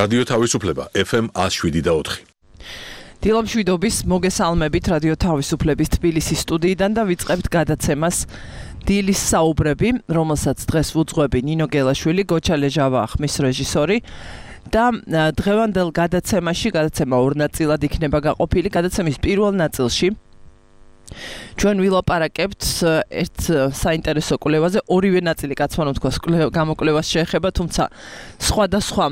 რადიო თავისუფლება FM 107.4. დილამშვიდობის მოგესალმებით რადიო თავისუფლების თბილისის სტუდიიდან და ვიწყებთ გადაცემას დილის საუბრები, რომელსაც დღეს ვუძღვები ნინო გელაშვილი, გოჩა ლეჟავა ხმის რეჟისორი და დღევანდელ გადაცემა ორ ნაწილად იქნება გაყოფილი. გადაცემის პირველ ნაწილში ჩვენ ვილაპარაკებთ ერთ საინტერესო კვლევაზე, ორივე ნაწილი კაცმანო თქვას გამოკვლევას შეეხება, თუმცა სხვადასხვა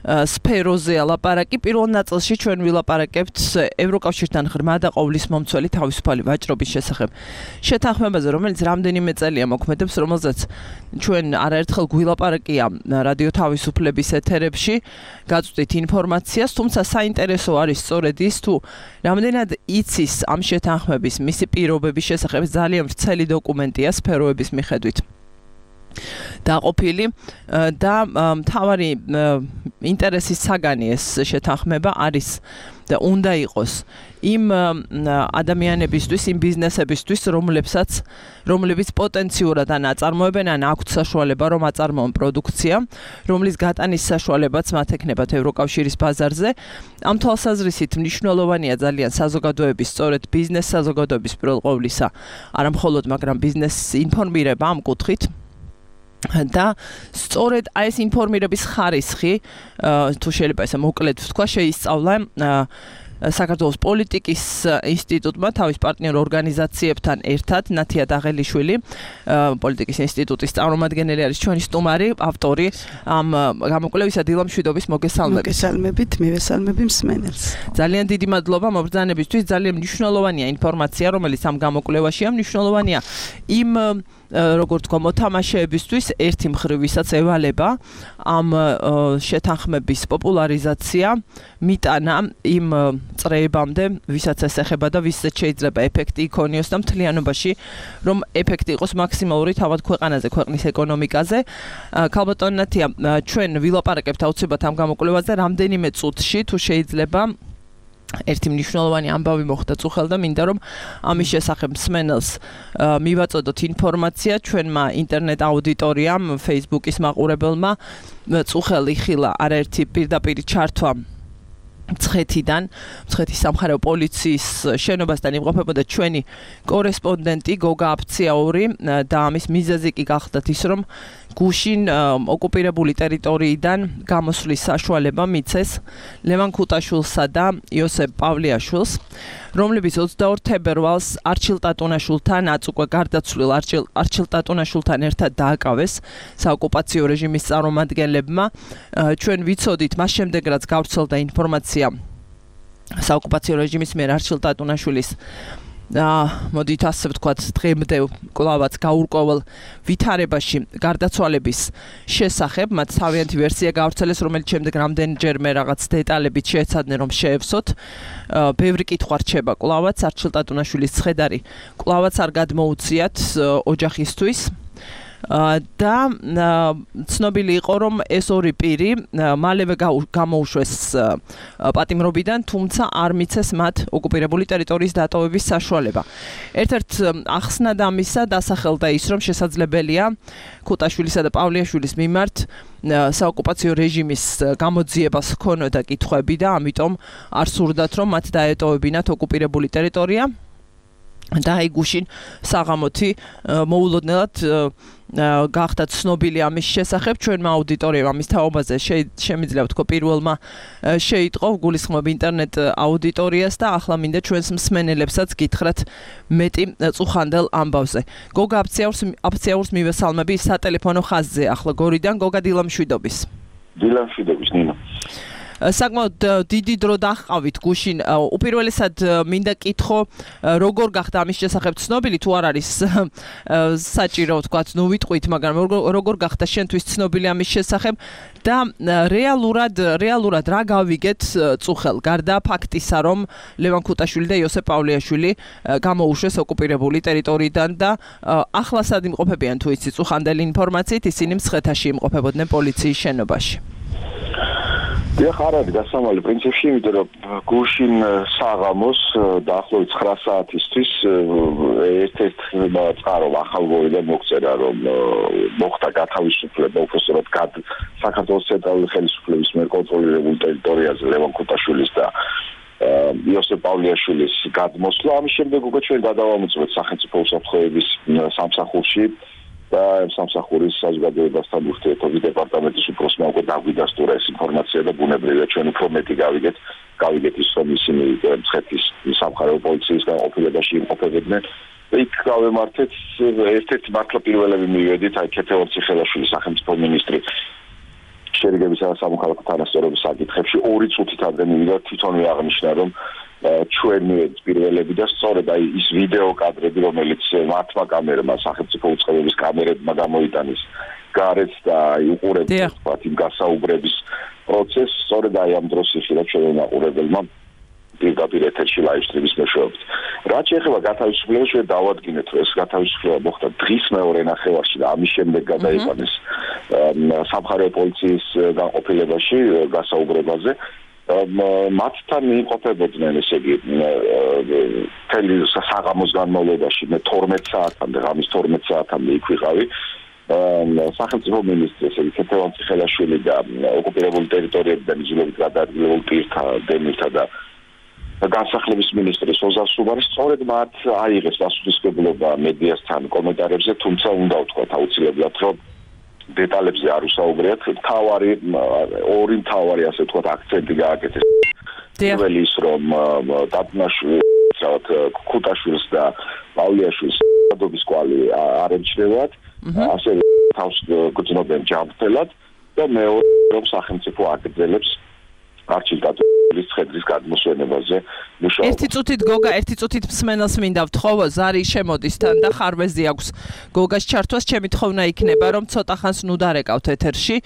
სფეროზეა ლაპარაკი. პირველ ნაწილში ჩვენ ვილაპარაკებთ ევროკავშირთან ღრმა და ყოვლის მომცველი თავისუფალი ვაჭრობის შესახებ შეთანხმებაზე, რომელიც რამდენიმე წელია მოქმედებს, რომელზეც ჩვენ არაერთხელ გვილაპარაკია რადიო თავისუფლების ეთერებში, გაწვდით ინფორმაციას, თუმცა საინტერესო არის სწორედ ის, თუ რამდენად იცის ამ შეთანხმების მისი პირობების შესახებ ძალიან ვრცელი დოკუმენტია სფეროების მიხედვით დაყოფილი და მთავარი ინტერესის საგანი ეს შეთანხმება არის და უნდა იყოს იმ ადამიანებისთვის, იმ ბიზნესებისთვის, რომლებიც პოტენციურად ან აწარმოებენ, ან აქვთ საშუალება, რომ აწარმოონ პროდუქცია, რომლის გატანის საშუალებაც მათ ექნებათ ევროკავშირის ბაზარზე. ამ თვალსაზრისით მნიშვნელოვანია ძალიან საზოგადოების, სწორედ ბიზნეს საზოგადოების პირველ ყოვლისა, არა მხოლოდ, მაგრამ ბიზნესის ინფორმირება ამ კუთხით. და სწორედ ეს ინფორმირების ხარისხი, თუ შეიძლება ესე მოკლედ ვთქვა, შეისწავლა საქართველოს პოლიტიკის ინსტიტუტმა თავის პარტნიორ ორგანიზაციებთან ერთად, ნათია დაღელიშვილი, პოლიტიკის ინსტიტუტის წარმომადგენელი არის ჩვენი სტუმარი, ავტორი ამ გამოკვლევისა. დილამშვიდობის, მოგესალმებით. მოგესალმებით, მივესალმები მსმენელს. ძალიან დიდი მადლობა მობრძანებისთვის, ძალიან მნიშვნელოვანია ინფორმაცია, რომელიც ამ გამოკვლევაშია, მნიშვნელოვანია იმ როგორც თქვა მოთამაშეებისთვის ერთი მხრივ, ვისაც ევალება ამ შეთანხმების პოპულარიზაცია, მიტანა იმ წრეებამდე, ვისაც ეს ეხება და ვისაც შეიძლება ეფექტი იქონიოს და მთლიანობაში, რომ ეფექტი იყოს მაქსიმალური თავად ქვეყანაზე, ქვეყნის ეკონომიკაზე. ქალბატონ ნათია, ჩვენ ვილაპარაკებთ აუცილებლად ამ გამოკვლევაზე რამდენიმე წუთში, თუ შეიძლება ერთი მნიშვნელოვანი ამბავი მოხდა წუხელ და მინდა რომ ამის შესახებ მსმენელს მივაწოდოთ ინფორმაცია. ჩვენმა ინტერნეტ აუდიტორიამ, Facebook-ის მაყურებელმა წუხელ იხილა არაერთი პირდაპირი ჩართვა მცხეთის სამხარეო პოლიციის შენობასთან იმყოფებოდა ჩვენი კორესპონდენტი გოგა აფციაური და ამის მიზეზი კი გახდათ ის, რომ გუშინ ოკუპირებული ტერიტორიიდან გამოსვლის საშუალება მიცეს ლევან ქუტაშვილსა და იოსებ პავლეაშვილს, რომლებიც 22 თებერვალს არჩილ ტატუნაშვილთან, უკვე გარდაცვლილ არჩილ ტატუნაშვილთან ერთად დააკავეს საოკუპაციო რეჟიმის წარმომადგენლებმა. ჩვენ ვიცოდით მას შემდეგ, რაც გავრცელდა ინფორმაცია საოკუპაციო რეჟიმის მიერ არჩილ ტატუნაშვილის მოდით ასე ვთქვათ, დღემდე კვლავაც გაურკვეველ ვითარებაში გარდაცვალების შესახებ, მათ თავიანთი ვერსია გავრცელეს, რომელიც შემდეგ რამდენჯერმე რაღაც დეტალებით შეეცადნენ, რომ შეევსოთ. ბევრი კითხვა რჩება კვლავაც, არჩილ ტატუნაშვილის ცხედარი კვლავაც არ გადმოუციათ ოჯახისთვის. და ცნობილი იყო, რომ ეს ორი პირი მალევე გამოუშვეს პატიმრობიდან, თუმცა არ მიცეს მათ ოკუპირებული ტერიტორიის დატოვების საშუალება. ერთ-ერთ ახსნად ამისა დასახელდა ის, რომ შესაძლებელია ქუტაშვილისა და პავლეაშვილის მიმართ საოკუპაციო რეჟიმის გამოძიებას ჰქონოდა კითხვები და ამიტომ არ სურდათ, რომ მათ დაეტოვებინათ ოკუპირებული ტერიტორია. და აი გუშინ საღამოთი მოულოდნელად გახდა ცნობილი ამის შესახებ. ჩვენმა აუდიტორიამ ამის თაობაზე შემიძლია ვთქვა პირველმა შეიტყო, გულისხმობ ინტერნეტ აუდიტორიას და ახლა მინდა ჩვენს მსმენელებსაც გითხრათ მეტი წუხანდელ ამბავზე. გოგა აფციაურს მივესალმები სატელეფონო ხაზზე ახლა გორიდან. გოგა, დილამშვიდობის. დილამშვიდობის, ნინო. საკმაოდ დიდი დრო დაჰყავით გუშინ. უპირველესად მინდა კითხო, როგორ გახდა ამის შესახებ ცნობილი, თუ არ არის საჭირო ვთქვათ, ნუ ვიტყვით, მაგრამ როგორ გახდა შენთვის ცნობილი ამის შესახებ და რეალურად რა გავიგეთ წუხელ, გარდა ფაქტისა, რომ ლევან ქუტაშვილი და იოსებ პავლეაშვილი გამოუშვეს ოკუპირებული ტერიტორიიდან და ახლა სად იმყოფებიან, თუ იცი წუხანდელი ინფორმაციით, ისინი მცხეთაში იმყოფებოდნენ პოლიციის შენობაში. დიახ, არ არის დასამალი პრინციპში, იმიტომ რომ გუშინ საღამოს დაახლოებით 9 საათისთვის ერთ-ერთ წყარო ახალგორიდან მოგწერა, რომ მოხდა გათავისუფლება უпроსტად საქართველოს ცენტრალური ხელისუფლების მიერ კონტროლირებულ ტერიტორიაზე ლევან ქუთაშვილის და იოსებ პავლიაშვილის გადმოსვლა. ამის შემდეგ უკვე ჩვენ გადავამოწმეთ სახელმწიფო უსაფრთხოების სამსახურში და სამსახურის საზოგადოებასთან ურთიერთობის დეპარტამენტის უფროსმა უკვე დაგვიდასტურა ეს ინფორმაცია და ბუნებრივია ჩვენ უფრო მეტი გავიგეთ ის რომ ისინი მცხეთის სამხარეო პოლიციის განყოფილებაში იმყოფებოდნენ და იქ გავემართეთ ერთ-ერთი მართლა პირველები მივედით აი ქეთევორცი ხელაშვილი სახელმწიფო მინისტრი შერიგებისა და სამოქალაქო თანასწორობის საკითხებში 2 წუთით ადრე მივიდა თვითონვე აღნიშნა რომ ჩვენ პირველები და სწორედ აი ის ვიდეო კადრები რომელიც მართმა კამერმა სახელმწიფო უწყებების კამერებმა გამოიტანეს გარეთ და აი უყურებთ თქვათ იმ გასაუბრების პროცესს სწორედ აი ამ დროს იხილა ჩვენ მაყურებელმა პირდაპირ ეთერში ლაივსტრიმის მეშვეობით. რაც შეეხება გათავისუფლებას ჩვენ დავადგინეთ რომ ეს გათავისუფლება მოხდა დღის მეორე ნახევარში და ამის შემდეგ გადაიყვანეს სამხარეო პოლიციის განყოფილებაში გასაუბრებაზე მათთან იმყოფებოდნენ ესე იგი თელი საღამოს განმავლობაში მე 12 საათამდე ღამის 12 საათამდე იქ ვიყავი სახელმწიფო მინისტრი ესე იგი ქეთევანცი ხელაშვილი და ოკუპირებული ტერიტორიებიდან იძულებით გადაადგილებულ პირთა დემირთა და განსახლების მინისტრი სოზარ სუბარი სწორედ მათ აიღეს პასუხისმგებლობა მედიასთან კომენტარებზე თუმცა უნდა ვთქვათ აუცილებლად რომ დეტალებზე არ უსაუბრიათ ორი მთავარი ასე ვთქვათ აქცენტი გააკეთეს პირველი ის რომ დათნაშვილი ქუთაშვილს და პავლიაშვილს დობის კვალი არ ემჩნევათ ასევე თავს გრძნობენ ჯანმრთელად და მეორე რომ სახელმწიფო აგრძელებს არჩილტატურის ცხედრის გადმოსვენებაზე მუშაობა. ერთი წუთით გოგა, ერთი წუთით მსმენელს მინდა ვთხოვო, ზარი შემოდის თან და ხარვეზი აქვს გოგას ჩართვას, ჩემი თხოვნა იქნება, რომ ცოტა ხანს ნუ დარეკავთ ეთერში.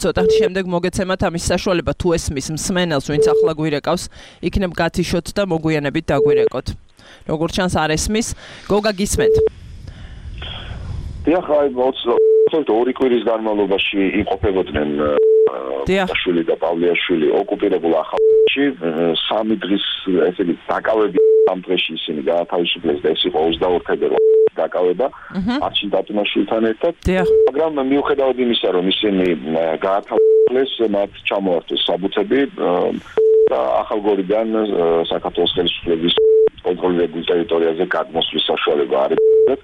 ცოტა ხნის შემდეგ მოგეცემათ ამის საშუალება თუ ესმის მსმენელს, ვინც ახლა გვირეკავს, იქნებ გათიშოთ და მოგვიანებით დაგვირეკოთ. როგორც ჩანს არ ესმის, გოგა გისმენთ. დიახ, აი 2 კვირის განმავლობაში იმყოფებოდნენ ქუთაშვილი და პავლიაშვილი ოკუპირებულ ახალში 3 დღის ესე იგი დაკავები ამ დღეში ისინი გაათავისუფლეს და ეს იყო 22 თებერვალის დაკავება არჩილ დათუნაშვილთან ერთად მაგრამ მიუხედავად იმისა რომ ისინი გაათავისუფლეს მათ ჩამოართვეს საბუთები და ახალგორიდან საქართველოს ხელისუფლების კონტროლირებულ ტერიტორიაზე გადმოსვლის საშუალება არ იქნებათ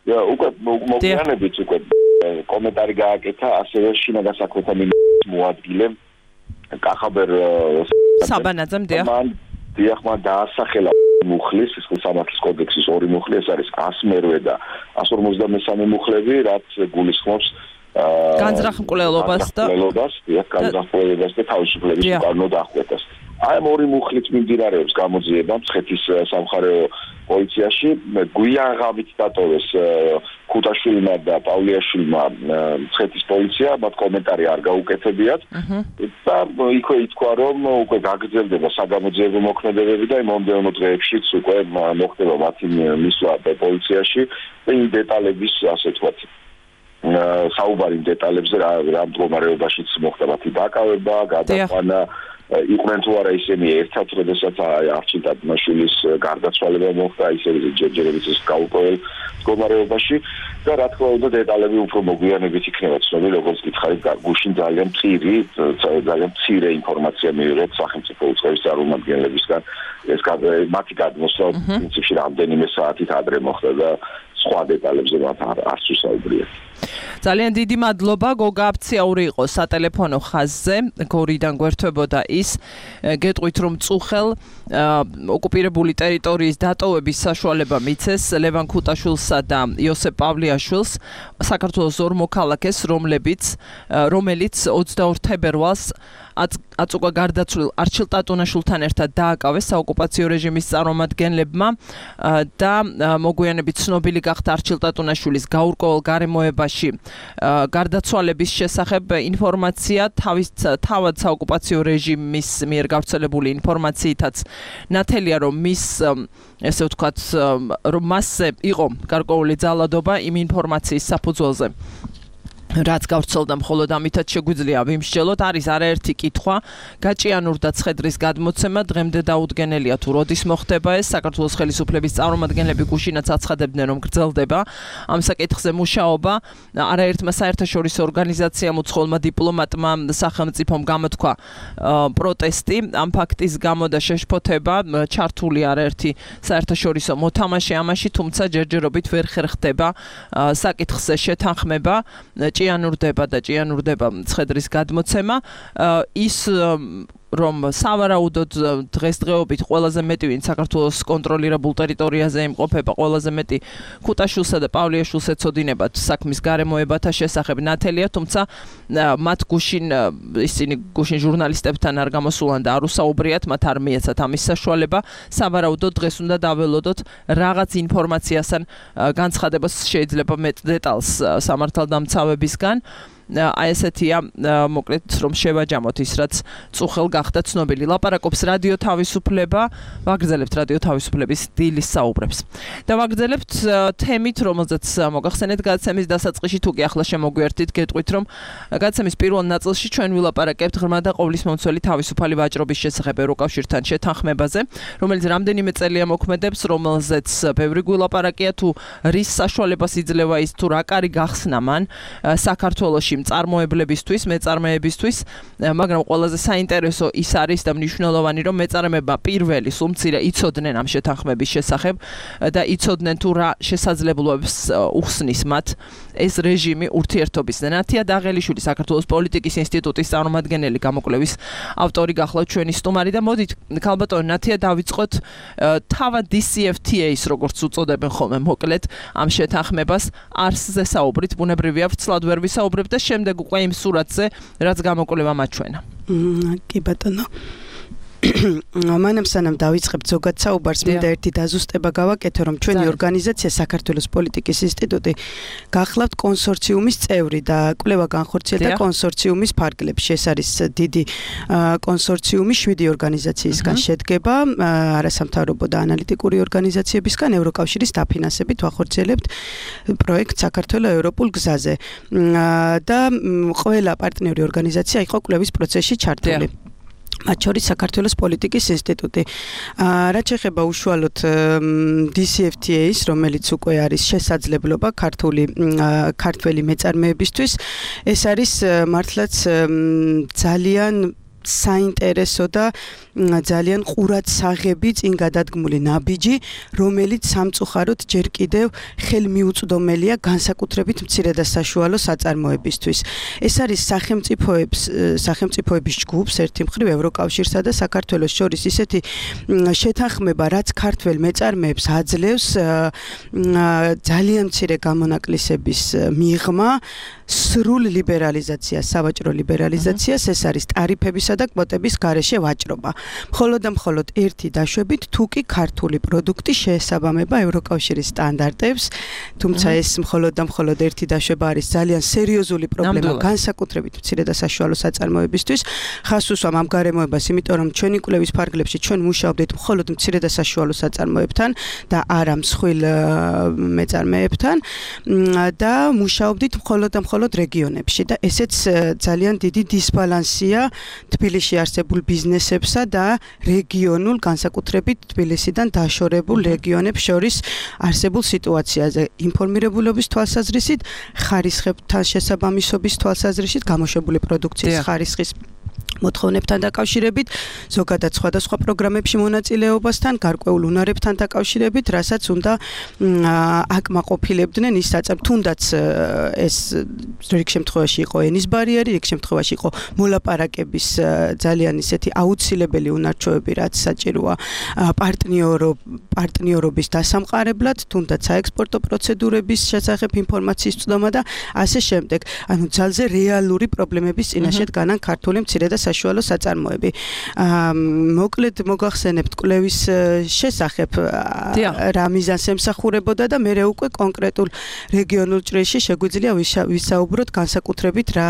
და უკვე მოგვიანებით უკვე კომენტარი გააკეთა ასევე შინაგან საქმეთა მინისტრის მოადგილემ კახაბერ საბანაძემ დიახ მან დაასახელა მუხლის ის სამართლის კოდექსის 2 მუხლი ეს არის 108 და 153 მუხლები რაც გულისხმობს განზრახმკვლელობას და განზრახმკვლელობას და თავისუფლების უკანონო დახვრეტას აი ამ 2 მუხლით მიმდინარეობს გამოძიება მცხეთის სამხარეო პოლიციაში გვიან ღამით დატოვეს ქუთაშვილმა და პავლიაშვილმა მცხეთის პოლიცია მათ კომენტარი არ გაუკეთებიათ და იქვე ითქვა რომ უკვე გაგრძელდება საგამოძიებო მოქმედებები და იმ მომდევნო დღეებშიც უკვე მოხდება მათი მისვლა პოლიციაში და იმ დეტალების ასე ვთქვათ საუბარი დეტალებზე რა მდგომარეობაშიც მოხდა მათი დაკავება გადაყვანა იყვნენ თუ არა ისინი ერთად როდესაც არჩილ დათუნაშვილის გარდაცვალება მოხდა ისინი ჯერჯერობით ის გაუპოველ მდგომარეობაში და რა თქმა უნდა დეტალები უფრო მოგვიანებით იქნება ცნობილი როგორც გითხარით გუშინ ძალიან მცირე ინფორმაცია მივიღეთ სახელმწიფო უწყების წარმომადგენლებისგან ეს მათი გადმოსვლა პრინციპში რამდენიმე საათით ადრე მოხდა და სხვა დეტალებზე მათ არ ვსაუბრიათ ძალიან დიდი მადლობა გოგა აფციაური იყო სატელეფონო ხაზზე გორიდან გვერდებოდა ის გეტყვით რომ წუხელ ოკუპირებული ტერიტორიის დატოვების საშუალება მიცეს ლევან ქუთაშვილსა და იოსებ პავლიაშვილს საქართველოს ორ მოქალაქეს რომელიც 22 თებერვალს აწუყა გარდაცვლილ არჩილ დათუნაშვილთან ერთად დააკავეს საოკუპაციო რეჟიმის წარმომადგენლებმა და მოგვიანებით ცნობილი გახდა არჩილ დათუნაშვილის გაურკვეველ გარემოებაში გარდაცვალების შესახებ ინფორმაცია თავად საოკუპაციო რეჟიმის მიერ გავრცელებული ინფორმაციითაც ნათელია რომ მის ესე ვთქვათ რომ მასზე იყო გარკვეული ძალადობა იმ ინფორმაციის საფუძველზე რაც გავრცელდა მხოლოდ ამითაც შეგვიძლია ვიმსჯელოთ არის არაერთი კითხვა გაჭიანურდა ცხედრის გადმოცემა დღემდე დაუდგენელია თუ როდის მოხდება ეს საქართველოს ხელისუფლების წარმომადგენლები გუშინაც აცხადებდნენ რომ გრძელდება ამ საკითხზე მუშაობა არაერთმა საერთაშორისო ორგანიზაციამ უცხოელმა დიპლომატმა სახელმწიფომ გამოთქვა პროტესტი ამ ფაქტის გამო და შეშფოთება ჩართული არაერთი საერთაშორისო მოთამაშე ამაში თუმცა ჯერჯერობით ვერ ხერხდება საკითხზე შეთანხმება ჭიანურდება ცხედრის გადმოცემა ის რომ სავარაუდოდ დღესდღეობით ყველაზე მეტი ვინ საქართველოს კონტროლირებულ ტერიტორიაზე იმყოფება ყველაზე მეტი ქუთაშვილსა და პავლიაშვილს ეცოდინებათ საქმის გარემოებათა შესახებ ნათელია თუმცა მათ ისინი გუშინ ჟურნალისტებთან არ გამოსულან და არ უსაუბრიათ მათ არ მიეცათ ამის საშუალება სავარაუდოდ დღეს უნდა დაველოდოთ რაღაც ინფორმაციასთან განცხადებას შეიძლება მეტ დეტალს სამართალდამცავებისგან აი ესეთია მოკლედ რომ შევაჯამოთ ის რაც წუხელ გახდა ცნობილი ლაპარაკობს რადიო თავისუფლება ვაგრძელებთ რადიო თავისუფლების დილის საუბრებს და ვაგრძელებთ თემით რომელზეც მოგახსენეთ გადაცემის დასაწყისში თუ კი ახლა შემოგვიერთით გეტყვით რომ გადაცემის პირველ ნაწილში ჩვენ ვილაპარაკებთ ღრმა და ყოვლისმომცველი თავისუფალი ვაჭრობის შესახებ ევროკავშირთან შეთანხმებაზე რომელიც რამდენიმე წელია მოქმედებს რომელზეც ბევრი გვილაპარაკია თუ რის საშუალებას იძლევა ის თუ რა კარი გახსნა მან საქართველოში მწარმოებლებისთვის, მეწარმეებისთვის, მაგრამ ყველაზე საინტერესო ის არის და მნიშვნელოვანი რომ მეწარმეებმა პირველი სულ მცირე იცოდნენ ამ შეთანხმების შესახებ და იცოდნენ თუ რა შესაძლებლობებს უხსნის მათ ეს რეჟიმი ურთიერთობის. ნათია დაღელიშვილი საქართველოს პოლიტიკის ინსტიტუტის წარმომადგენელი გამოკვლევის ავტორი გახლავთ ჩვენი სტუმარი და მოდით ქალბატონო ნათია დავიწყოთ თავად DCFTA-ს როგორც უწოდებენ ხოლმე მოკლედ ამ შეთანხმებას არსზე საუბრით ბუნებრივია ვრცლად ვერ ვისაუბრებ და შემდეგ უკვე იმ სურათზე რაც გამოკვლევა მაჩვენა. კი ბატონო მანამ სანამ დავიწყებთ ზოგად საუბარს მინდა ერთი დაზუსტება გავაკეთო რომ ჩვენი ორგანიზაცია საქართველოს პოლიტიკის ინსტიტუტი გახლავთ კონსორციუმის წევრი და კვლევა განხორციელდა კონსორციუმის ფარგლებში ეს არის დიდი კონსორციუმი 7 ორგანიზაციისგან შედგება არასამთავრობო და ანალიტიკური ორგანიზაციებისგან ევროკავშირის დაფინანსებით ვახორციელებთ პროექტ საქართველოს ევროპულ გზაზე და ყველა პარტნიორი ორგანიზაცია იყო კვლევის პროცესში ჩართული მათ შორის საქართველოს პოლიტიკის ინსტიტუტი. რაც შეეხება უშუალოდ DCFTA-ს, რომელიც უკვე არის შესაძლებლობა ქართველი მეწარმეებისთვის, ეს არის მართლაც ძალიან საინტერესო და ძალიან ყურადსაღები წინ გადადგმული ნაბიჯი, რომელიც სამწუხაროდ ჯერ კიდევ ხელმიუწვდომელია განსაკუთრებით მცირე და საშუალო საწარმოებისთვის. ეს არის სახელმწიფოების ჯგუფს ერთი მხრივ ევროკავშირსა და საქართველოს შორის ისეთი შეთანხმება, რაც ქართველ მეწარმეებს აძლევს ძალიან მცირე გამონაკლისების მიღმა, სრულ ლიბერალიზაციას, სავაჭრო ლიბერალიზაციას, ეს არის ტარიფებისა და კვოტების გარეშე ვაჭრობა. მხოლოდ ერთი დაშვებით თუ კი ქართული პროდუქტი შეესაბამება ევროკავშირის სტანდარტებს, თუმცა ეს მხოლოდ ერთი დაშვება არის ძალიან სერიოზული პრობლემა განსაკუთრებით მცირე და საშუალო საწარმოებისთვის. ხას უსვამ ამ გარემოებას, იმიტომ რომ ჩვენი კვლევის ფარგლებში ჩვენ მუშაობდით მხოლოდ მცირე და საშუალო საწარმოებთან და არა მსხვილ მეწარმეებთან და მუშაობდით მხოლოდ რეგიონებში და ესეც ძალიან დიდი დისბალანსია თბილისში არსებულ ბიზნესებსა და რეგიონულ განსაკუთრებით თბილისიდან დაშორებულ რეგიონებს შორის არსებულ სიტუაციაზე ინფორმირებულობის თვალსაზრისით, ხარისხებთან შესაბამისობის თვალსაზრისით, გამოშვებული პროდუქციის ხარისხის მოთხოვნებთან დაკავშირებით, ზოგადად სხვადასხვა პროგრამებში მონაწილეობასთან, გარკვეულ უნარებთან დაკავშირებით, რასაც უნდა აკმაყოფილებდნენ ის საწარმოები, თუნდაც ეს რიგ შემთხვევაში იყო ენის ბარიერი, რიგ შემთხვევაში იყო მოლაპარაკების ძალიან ისეთი აუცილებელი უნარჩვევები, რაც საჭიროა პარტნიორობის დასამყარებლად, თუნდაც საექსპორტო პროცედურების შესახებ ინფორმაციის წვდომა და ასე შემდეგ. ანუ ძალზე რეალური პრობლემების წინაშე დგანან ქართული მცირე და საშუალო საწარმოები. მოკლედ მოგახსენებთ კვლევის შესახებ რა მიზანს ემსახურებოდა და მე უკვე კონკრეტულ რეგიონულ ჭრილში შეგვიძლია ვისაუბროთ განსაკუთრებით რა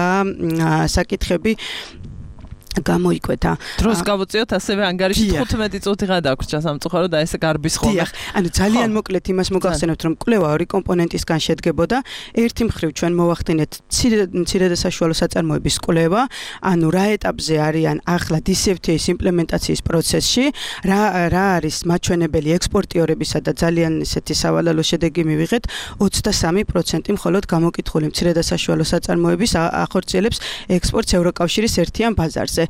საკითხები გამოიკვეთა. დროს გავუწიოთ ასევე ანგარიში 15 წუთი გადაგვრჩა სამწუხაროდ და ესე გარბის ხოლმე. ანუ ძალიან მოკლედ იმას მოგახსენებთ, რომ კვლევა ორი კომპონენტისგან შედგებოდა. ერთი მხრივ ჩვენ მოვახდინეთ მცირე და საშუალო საწარმოების კვლევა, ანუ რა ეტაპზე არიან ახლა DCFTA-ის იმპლემენტაციის პროცესში, რა არის მაჩვენებელი ექსპორტიორებისა და ძალიან ისეთი სავალალო შედეგი მივიღეთ, 23% მხოლოდ გამოკითხული მცირე და საშუალო საწარმოების ახორციელებს ექსპორტს ევროკავშირის ერთიან ბაზარზე.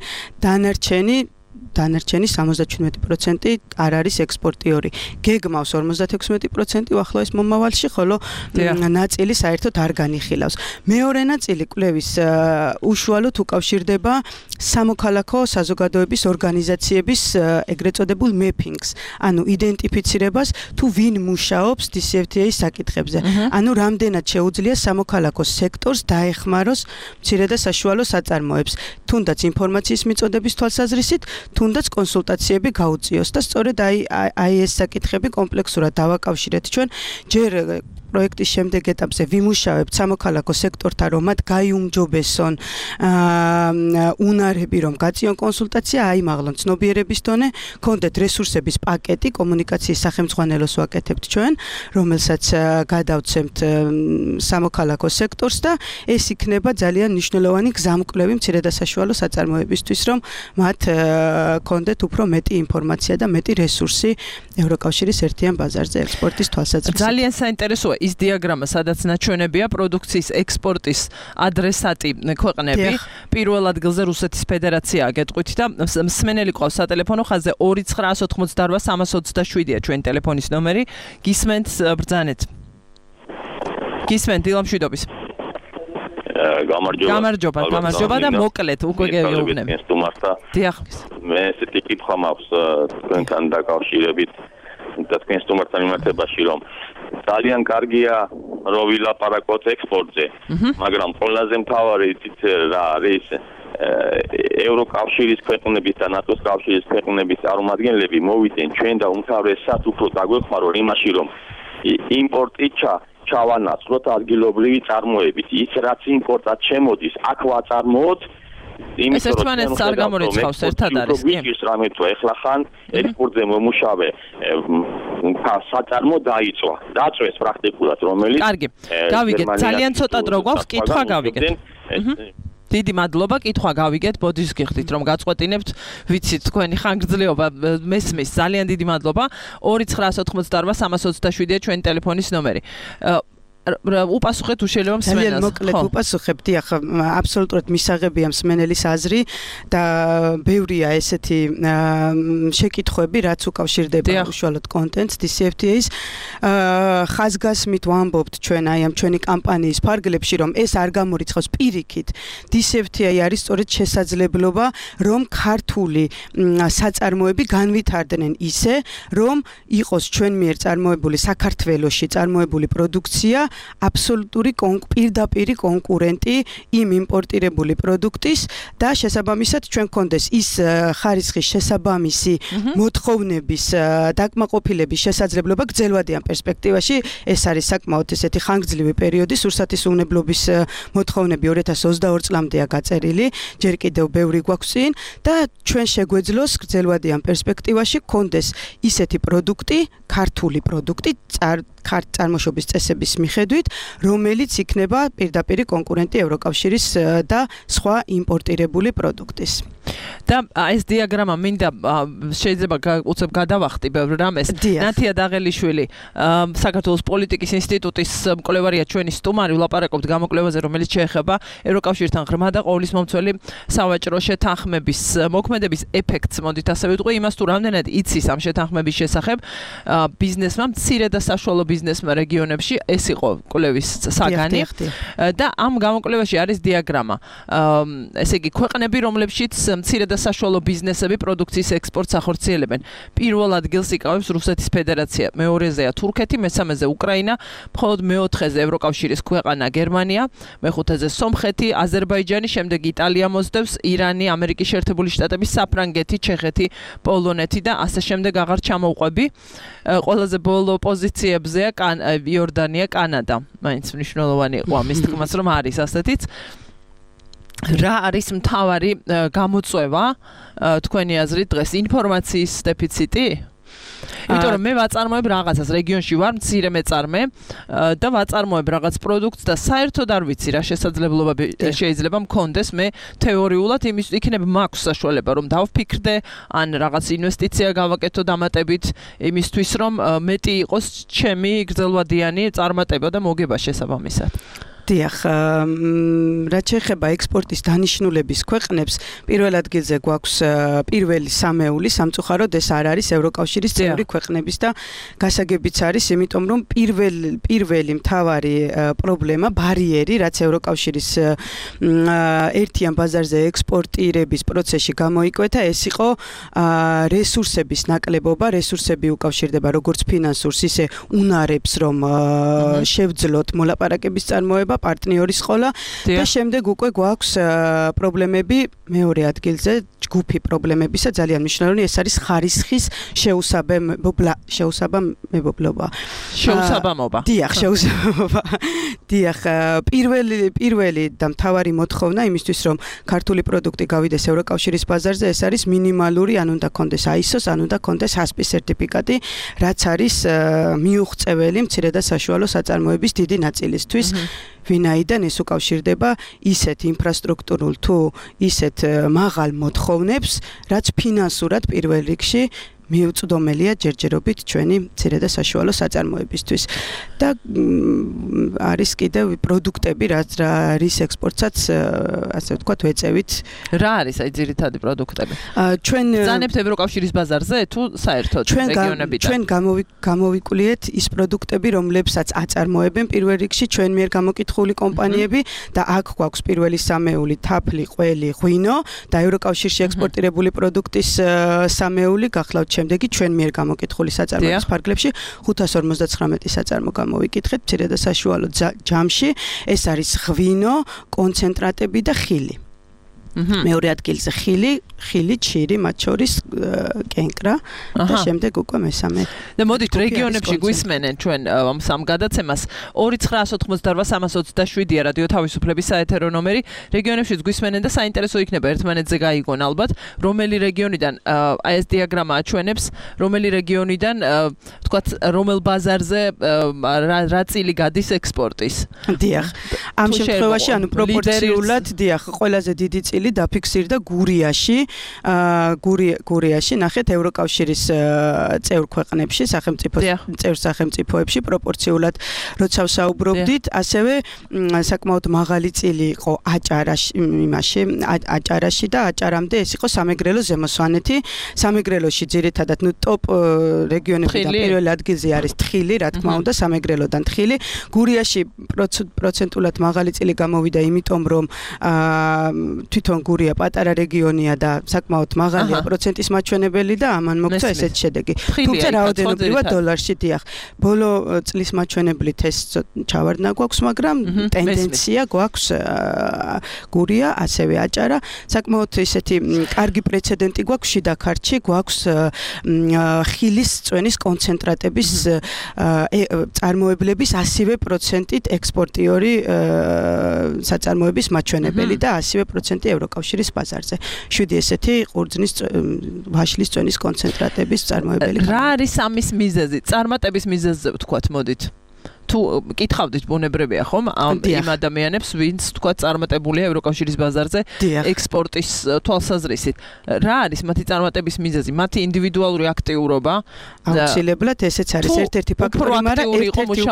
დანარჩენი 77% არ არის ექსპორტიორი. გეგმავს 56% უახლოეს მომავალში, ხოლო ნაწილი საერთოდ არ განიხილავს. მეორე ნაწილი კვლევის უშუალოდ უკავშირდება სამოქალაქო საზოგადოების ორგანიზაციების ეგრეთ წოდებულ mappings, ანუ იდენტიფიცირებას თუ ვინ მუშაობს DCFTA-ის საკითხებზე. ანუ რამდენად შეუძლია სამოქალაქო სექტორს დაეხმაროს მცირე და საშუალო საწარმოებს, თუნდაც ინფორმაციის მიწოდების თვალსაზრისით, თუნდაც კონსულტაციები გაუწიოს და სწორედ აი ეს საკითხები კომპლექსურად დავაკავშირეთ ჩვენ ჯერ პროექტის შემდეგ ეტაპზე ვიმუშავებთ სამოქალაქო სექტორთან, რომ მათ გაიუმჯობესონ უნარები, რომ გაწიონ კონსულტაცია, აიმაღლონ ცნობიერების დონე, გქონდეთ რესურსების პაკეტი, კომუნიკაციის სახელმძღვანელოს ვაკეთებთ ჩვენ, რომელსაც გადავცემთ სამოქალაქო სექტორს და ეს იქნება ძალიან მნიშვნელოვანი გზამკვლევი მცირე და საშუალო საწარმოებისთვის, რომ მათ გქონდეთ უფრო მეტი ინფორმაცია და მეტი რესურსი ევროკავშირის ერთიან ბაზარზე ექსპორტის თვალსაზრისით. ძალიან საინტერესოა ის დიაგრამა, სადაც ნაჩვენებია პროდუქციის ექსპორტის ადრესატი ქვეყნები. პირველ ადგილზე რუსეთის ფედერაციაა გეტყვით და მსმენელი ყავს სატელეფონო ხაზზე 2988327-ია ჩვენი ტელეფონის ნომერი. გისმენთ ბრძანეთ. გისმენთ დილამშვიდობის. გამარჯობა და მოკლედ უკვე გეუბნები. დიახ. მე ესეთი კითხვა მაქვს თქვენთან დაკავშირებით და თქვენ სტუმართან მიმართებაში, რომ ძალიან კარგია რომ ვილაპარაკოთ ექსპორტზე, მაგრამ ყველაზე მთავარი რა არის ევროკავშირის ქვეყნების და ნატოს კავშირის ქვეყნების წარმომადგენლები მოვიდნენ ჩვენ და უმთავრესად უფრო დაგვეხმარონ იმაში, რომ იმპორტი ჩავანაცვლოთ ადგილობრივი წარმოებით. ის რაც იმპორტად შემოდის, აქ ვაწარმოოთ. ეს ერთმანეთს არ გამორიცხავს, ერთად არის, კი? ის რამე თუ ეხლა ხან ექსპორტზე მომუშავე საწარმო დაწვეს პრაქტიკულად, რომელიც კარგი. გავიგეთ, ძალიან ცოტა დრო გვაქვს, კითხვა გავიგეთ. დიდი მადლობა, კითხვა გავიგეთ, ბოდიშს გიხდით რომ გაწყვეტინებთ, ვიცით თქვენი ხანგრძლივობა მესმის, ძალიან დიდი მადლობა. 2988327-ია ჩვენი ტელეფონის ნომერი. უპასუხეთ თუ შეიძლება მსმენელს. ძალიან მოკლედ უპასუხებ, დიახ, აბსოლუტურად მისაღებია მსმენელის აზრი და ბევრია ესეთი შეკითხვები, რაც უკავშირდება უშუალოდ კონტენტს DCFTA-ის. ხაზგასმით ვამბობთ ჩვენ აი ამ ჩვენი კამპანიის ფარგლებში, რომ ეს არ გამორიცხავს პირიქით. DCFTA არის სწორედ შესაძლებლობა, რომ ქართული საწარმოები განვითარდნენ ისე, რომ იყოს ჩვენ მიერ წარმოებული საქართველოში წარმოებული პროდუქცია აბსოლუტური პირდაპირი კონკურენტი იმ იმპორტირებული პროდუქტის და შესაბამისად ჩვენ გქონდეს ის ხარისხის შესაბამისი მოთხოვნების დაკმაყოფილების შესაძლებლობა გრძელვადიან პერსპექტივაში. ეს არის საკმაოდ ესეთი ხანგრძლივი პერიოდი, სურსათის უნებლობის მოთხოვნები 2022 წლამდეა გაწერილი, ჯერ კიდევ ბევრი გვაქვს წინ და ჩვენ შეგვეძლოს გრძელვადიან პერსპექტივაში გქონდეს ისეთი პროდუქტი, ქართული პროდუქტი წარმოშობის წესების მიხედვით, რომელიც იქნება პირდაპირი კონკურენტი ევროკავშირის და სხვა იმპორტირებული პროდუქტის. და ეს დიაგრამა მინდა შეიძლება უცებ გადავახტი ბევრ რამეს. ნათია დაღელიშვილი, საქართველოს პოლიტიკის ინსტიტუტის მკვლევარია ჩვენი სტუმარი, ვლაპარაკობთ გამოკვლევაზე, რომელიც შეეხება ევროკავშირთან ღრმა და ყოვლისმომცველი სავაჭრო შეთანხმების მოქმედების ეფექტს. მოდით ასე ვიტყვი, იმას თუ რამდენად იცის ამ შეთანხმების შესახებ ბიზნესმა, მცირე და საშუალო ბიზნესმა რეგიონებში, ეს იყო კვლევის საგანი. და ამ გამოკვლევაში არის დიაგრამა. ესე იგი, ქვეყნები, რომლებშიც მცირე და საშუალო ბიზნესები პროდუქციის ექსპორტს ახორციელებენ. პირველ ადგილს იკავებს რუსეთის ფედერაცია, მეორეზეა თურქეთი, მესამეზე უკრაინა, მხოლოდ მეოთხეზე ევროკავშირის ქვეყანა გერმანია, მეხუთეზე სომხეთი, აზერბაიჯანი, შემდეგ იტალია მოსდევს, irani, ამერიკის შეერთებული შტატები, საფრანგეთი, ჩეხეთი, პოლონეთი და ასე შემდეგ აღარ ჩამოვყვები. ყველაზე ბოლო პოზიციებზეა იორდანია, კანადა. მაინც მნიშვნელოვანი იყო ამის თქმაც, რომ არის ასეთიც. რა არის მთავარი გამოწვევა თქვენი აზრით დღეს ინფორმაციის დეფიციტი? იმიტომ რომ მე ვაწარმოებ რაღაცას რეგიონში ვარ მცირე მეწარმე და ვაწარმოებ რაღაც პროდუქტს და საერთოდ არ ვიცი რა შესაძლებლობები შეიძლება მქონდეს მე თეორიულად იმის იქნება მაქვს საშუალება რომ დავფიქრდე ან რაღაც ინვესტიცია გავაკეთო დამატებით იმისთვის რომ მეტი იყოს ჩემი გრძელვადიანი წარმატება და მოგება შესაბამისად. დიახ, რაც შეეხება ექსპორტის დანიშნულების ქვეყნებს, პირველ ადგილზე გვაქვს პირველი სამეული, სამწუხაროდ ეს არ არის ევროკავშირის წევრი ქვეყნების და გასაგებიც არის, იმიტომ რომ პირველი მთავარი პრობლემა, ბარიერი, რაც ევროკავშირის ერთიან ბაზარზე ექსპორტირების პროცესში გამოიკვეთა, ეს იყო რესურსების ნაკლებობა, რესურსები უკავშირდება როგორც ფინანსურს, ისე უნარებს, რომ შევძლოთ მოლაპარაკების წარმოება პარტნიორის ყოლა და შემდეგ უკვე გვაქვს პრობლემები მეორე ადგილზე ჯგუფი პრობლემებისა ძალიან მნიშვნელოვანი ეს არის ხარისხის შეუსაბამებლობა. დიახ, შეუსაბამობა. დიახ, პირველი და მთავარი მოთხოვნა იმისთვის რომ ქართული პროდუქტი გავიდეს ევროკავშირის ბაზარზე ეს არის მინიმალური ან უნდა კონდეს ISO-ს, ან უნდა კონდეს HACCP სერტიფიკატი, რაც არის მიუღწეველი მცირე და საშუალო საწარმოების დიდი ნაწილისთვის. ვინაიდან ეს უკავშირდება ისეთ ინფრასტრუქტურულ თუ ისეთ მაღალ მოთხოვნებს, რაც ფინანსურად პირველ რიგში მიუწვდომელია ჯერჯერობით ჩვენი მცირე და საშუალო საწარმოებისთვის და არის კიდევ პროდუქტები, რის ექსპორტსაც ასე ვთქვათ ვეწევით. რა არის აი ძირითადი პროდუქტები? ჩვენ ბრძანებთ ევროკავშირის ბაზარზე თუ საერთოდ რეგიონებიდან? ჩვენ გამოვიკვლიეთ ის პროდუქტები, რომლებსაც აწარმოებენ პირველ რიგში ჩვენ მიერ გამოკითხული კომპანიები და აქ გვაქვს პირველი სამეული, თაფლი, ყველი, ღვინო და ევროკავშირში ექსპორტირებული პროდუქტის სამეული გახლავთ შემდეგი ჩვენ მიერ გამოკითხული საწარმოების ფარგლებში 559 საწარმო გამოვიკითხეთ მცირე და საშუალო ჯამში ეს არის ღვინო, კონცენტრატები და ხილი. მეორე ადგილზე ხილი, ჩირი, მათ შორის კენკრა და შემდეგ უკვე მესამე. და მოდით რეგიონებში გვისმენენ ჩვენ ამ სამ გადაცემას 2988327-ია რადიო თავისუფლების საეთერო ნომერი. რეგიონებში გვისმენენ და საინტერესო იქნება ერთმანეთზე გაიგონ ალბათ, რომელი რეგიონიდან აი ეს დიაგრამა აჩვენებს, რომელი რეგიონიდან ვთქვათ, რომელ ბაზარზე რა წილი გადის ექსპორტის. დიახ. ამ შემთხვევაში ანუ პროპორციულად დიახ, ყველაზე დიდი წილი დაფიქსირდა გურიაში. გურიაში ნახეთ ევროკავშირის წევრ ქვეყნებში, წევრ სახელმწიფოებში პროპორციულად როცა ვსაუბრობდით, ასევე საკმაოდ მაღალი წილი იყო აჭარაში და აჭარამდე ეს იყო სამეგრელო ზემოსვანეთი. სამეგრელოში ძირითადად ტოპ რეგიონებიდან პირველ ადგილზე არის თხილი, რა თქმა უნდა, სამეგრელოდან თხილი. გურიაში პროცენტულად მაღალი წილი გამოვიდა, იმიტომ რომ თვითონ გურია პატარა რეგიონია და საკმაოდ მაღალია პროცენტის მაჩვენებელი და ამან მოგვცა ესეთი შედეგი. თუმცა რაოდენობრივად დოლარში დიახ. ბოლო წლის მაჩვენებლით ეს ჩავარდნა გვაქვს, მაგრამ ტენდენცია გვაქვს გურია, ასევე აჭარა. საკმაოდ ესეთი კარგი პრეცედენტი გვაქვს შიდა ქართლში, გვაქვს ხილის წვენის კონცენტრატების წარმოებლების 100%-ით ექსპორტიორი საწარმოების მაჩვენებელი და 100% ევროკავშირის ბაზარზე. 7 ესეთი ყურძნის ვაშლის წვენის კონცენტრატების წარმოებელი. რა არის ამის მიზეზი? წარმატების მიზეზზე ვთქვათ, მოდით. თუ კითხავდით ბუნებრივია ხომ იმ ადამიანებს, ვინც თქვა წარმატებულია ევროკავშირის ბაზარზე ექსპორტის თვალსაზრისით. რა არის მათი წარმატების მიზეზი? მათი ინდივიდუალური აქტიურობა? აუცილებლად ესეც არის ერთ-ერთი ფაქტორი, მაგრამ ერთ-ერთი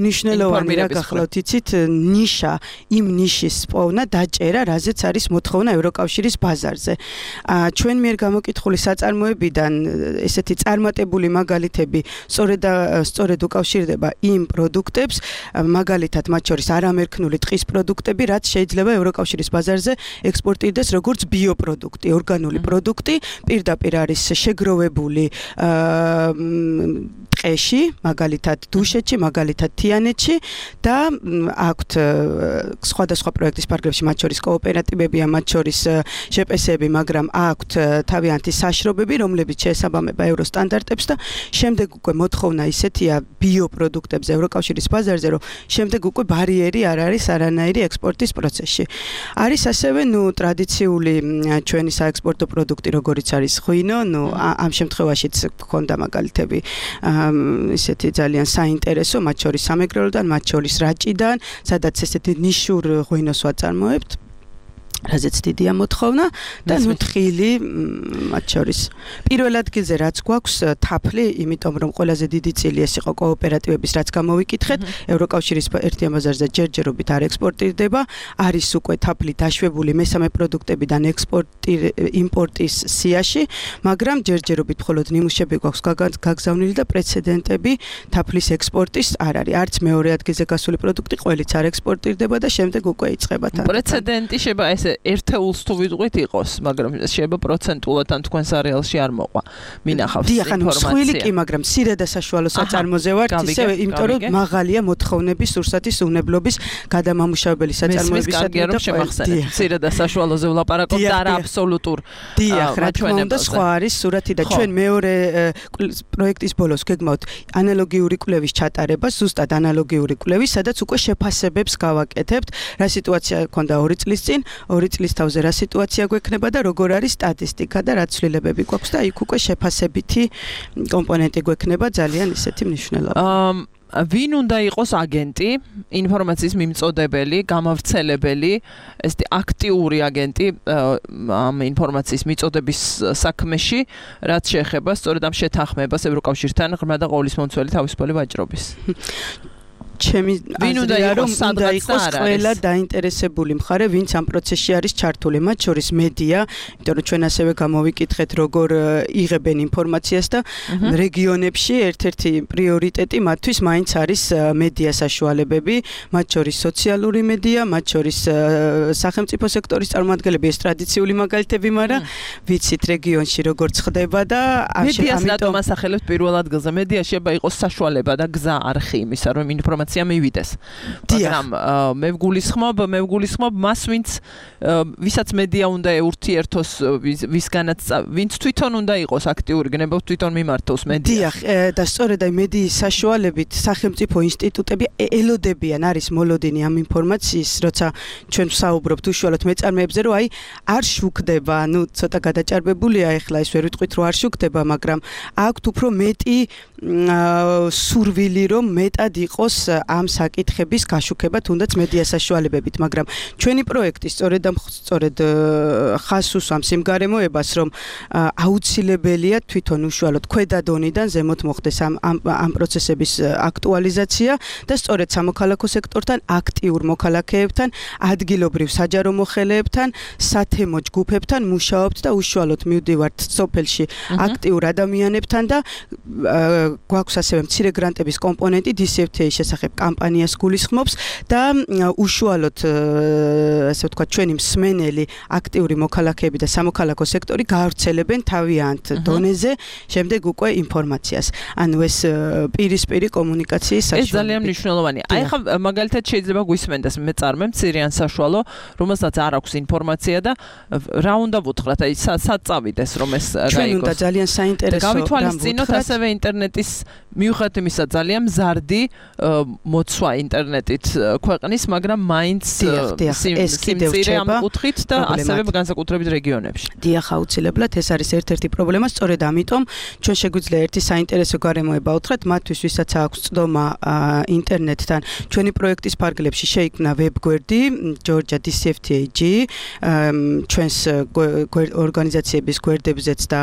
მნიშვნელოვანი რა გახლავთ იცით, ნიშა, იმ ნიშის პოვნა, დაჭერა, რაზეც არის მოთხოვნა ევროკავშირის ბაზარზე. ჩვენ მიერ გამოკითხული საწარმოებიდან ესეთი წარმატებული მაგალითები სწორედ უკავშირდება იმ პროდუქტებს, მაგალითად მათ შორის არამერქნული ტყის პროდუქტები, რაც შეიძლება ევროკავშირის ბაზარზე ექსპორტირდეს როგორც ბიოპროდუქტი, ორგანული პროდუქტი, პირდაპირ არის შეგროვებული ტყეში, მაგალითად დუშეთში, მაგალითად თიანეთში და აქვთ სხვადასხვა პროექტის ფარგლებში, მათ შორის კოოპერატივებია, მათ შორის ჟპს-ები, მაგრამ აქვთ თავიანთი საშრობები, რომლებიც შეესაბამება ევროსტანდარტებს და შემდეგ უკვე მოთხოვნა ისეთია ბიოპროდუქტებზე ევროკავშირის ბაზარზე, რომ შემდეგ უკვე ბარიერი არ არის არანაირი ექსპორტის პროცესში. არის ასევე ტრადიციული ჩვენი საექსპორტო პროდუქტი, როგორიც არის ღვინო, ამ შემთხვევაშიც გქონდა მაგალითები ისეთი ძალიან საინტერესო, მათ შორის სამეგრელოდან, მათ შორის რაჭიდან, სადაც ესეთი ნიშურ ღვინოს ვაწარმოებთ. რაზეც დიდია მოთხოვნა და თხილი მათ შორის. პირველ ადგილზე რაც გვაქვს თაფლი, იმიტომ რომ ყველაზე დიდი წილი ეს იყო კოოპერატივების, რაც გამოვიკითხეთ, ევროკავშირის ერთიან ბაზარზე ჯერჯერობით არ ექსპორტირდება, არის უკვე თაფლი დაშვებული მესამე პროდუქტებიდან იმპორტის სიაში, მაგრამ ჯერჯერობით მხოლოდ ნიმუშები გვაქვს გაგზავნილი და პრეცედენტები თაფლის ექსპორტის არ არის. არც მეორე ადგილზე გასული პროდუქტი ყველიც არ ექსპორტირდება და შემდეგ უკვე იწყება თან. პრეცედენტი შეება ეს ერთეულს თუ ვიტყვით იყოს, მაგრამ შეიძლება პროცენტულად ან თქვენს არეალში არ მოყვა. მინახავს ინფორმაცია. ხვილი კი, მაგრამ მცირე და საშუალო საწარმოზე ვართ, ისევე იმიტომ რომ მაღალია მოთხოვნების სურსათის უნებლობის გადამამუშავებელი საწარმოებისადმი და შემახსენეთ. მცირე და საშუალოზე ვლაპარაკობთ და არა აბსოლუტურ. დიახ, რა თქმა უნდა, სხვა არის სურათი და ჩვენ მეორე პროექტის ბოლოს გეგმავთ ანალოგიური კვლევის ჩატარებას, ზუსტად ანალოგიური კვლევის, სადაც უკვე შეფასებებს გავაკეთებთ, რა სიტუაცია ქონდა 2 წლის წინ, 2 წლის თავზე რა სიტუაცია გვექნება და როგორ არის სტატისტიკა და რა ცვლილებები გვაქვს და იქ უკვე შეფასებითი კომპონენტი გვექნება ძალიან ისეთი მნიშვნელოვანი. ვინ უნდა იყოს აგენტი, ინფორმაციის მიმწოდებელი, გამავრცელებელი, ესეთი აქტიური აგენტი ამ ინფორმაციის მიწოდების საქმეში, რაც შეეხება სწორედ ამ შეთანხმებას ევროკავშირთან ღრმა და ყოვლისმომცველი თავისუფალი ვაჭრობის. ჩემი აზრია რომ უნდა იყოს ყველა დაინტერესებული მხარე, ვინც ამ პროცესში არის ჩართული, მათ შორის მედია, იმიტომ რომ ჩვენ ასევე გამოვიკითხეთ, როგორ იღებენ ინფორმაციას და რეგიონებში ერთ-ერთი პრიორიტეტი მათთვის მაინც არის მედია საშუალებები, მათ შორის სოციალური მედია, მათ შორის სახელმწიფო სექტორის წარმომადგენლები, ეს ტრადიციული მაგალითები, მაგრამ ვიცით რეგიონში როგორ ხდება და მედიას რატომ ასახელებთ პირველ ადგილზე? მედია შეიძლება იყოს საშუალება და გზა არხი იმისა, რომ ინფორმაცია მივიდეს. მაგრამ მე ვგულისხმობ მას, ვისაც მედია უნდა ეურთიერთოს, ვინც თვითონ უნდა იყოს აქტიური, გნებავთ თვითონ მიმართოს მედიას. დიახ, და სწორედ აი მედიის საშუალებით სახელმწიფო ინსტიტუტები ელოდებიან, არის მოლოდინი ამ ინფორმაციის, როცა ჩვენ ვსაუბრობთ უშუალოდ მეწარმეებზე, რომ აი არ შუქდება, ცოტა გადაჭარბებულია ეხლა ეს ვერ ვიტყვით, რომ არ შუქდება, მაგრამ აქვთ უფრო მეტი სურვილი, რომ მეტად იყოს ამ საკითხების გაშუქება თუნდაც მედია საშუალებებით, მაგრამ ჩვენი პროექტი სწორედ ხაზს უსვამს იმ გარემოებას, რომ აუცილებელია თვითონ უშუალოდ ქვედა დონიდან ზემოთ მოხდეს ამ პროცესების აქტუალიზაცია და სწორედ სამოქალაქო სექტორთან, აქტიურ მოქალაქეებთან, ადგილობრივ საჯარო მოხელეებთან, სათემო ჯგუფებთან მუშაობთ და უშუალოდ მივდივართ სოფელში აქტიურ ადამიანებთან და გვაქვს ასევე მცირე გრანტების კომპონენტი DCFTA-ის შესახებ კამპანიას გულისხმობს და უშუალოდ ასე ვთქვათ ჩვენი მსმენელი აქტიური მოქალაქეები და სამოქალაქო სექტორი გაავრცელებენ თავიანთ დონეზე შემდეგ უკვე ინფორმაციას. ანუ ეს პირისპირი კომუნიკაციის საშუალება. ეს ძალიან მნიშვნელოვანია. აი ხა მაგალითად შეიძლება გვისმენდეს მეწარმე მცირე ან საშუალო, რომელსაც არ აქვს ინფორმაცია და რა უნდა ვუთხრათ, აი სად წავიდეს რომ ეს გაიგოს. ჩვენ უნდა ძალიან საინტერესო გავითვალისწინოთ ასევე ინტერნეტის მიუხედავად იმისა ძალიან მზარდი მოცვა ინტერნეტით ქვეყნის, მაგრამ მაინც სიმწირე ამ კუთხით და ასევე განსაკუთრებით რეგიონებში. დიახ, აუცილებლად ეს არის ერთ-ერთი პრობლემა, სწორედ ამიტომ ჩვენ შეგვიძლია ერთი საინტერესო გარემოება უთხრათ მათთვის, ვისაც აქვს წდომა ინტერნეტთან. ჩვენი პროექტის ფარგლებში შეიქმნა ვებგვერდი Georgia DCFTA-G, ჩვენს ორგანიზაციების გვერდებზეც და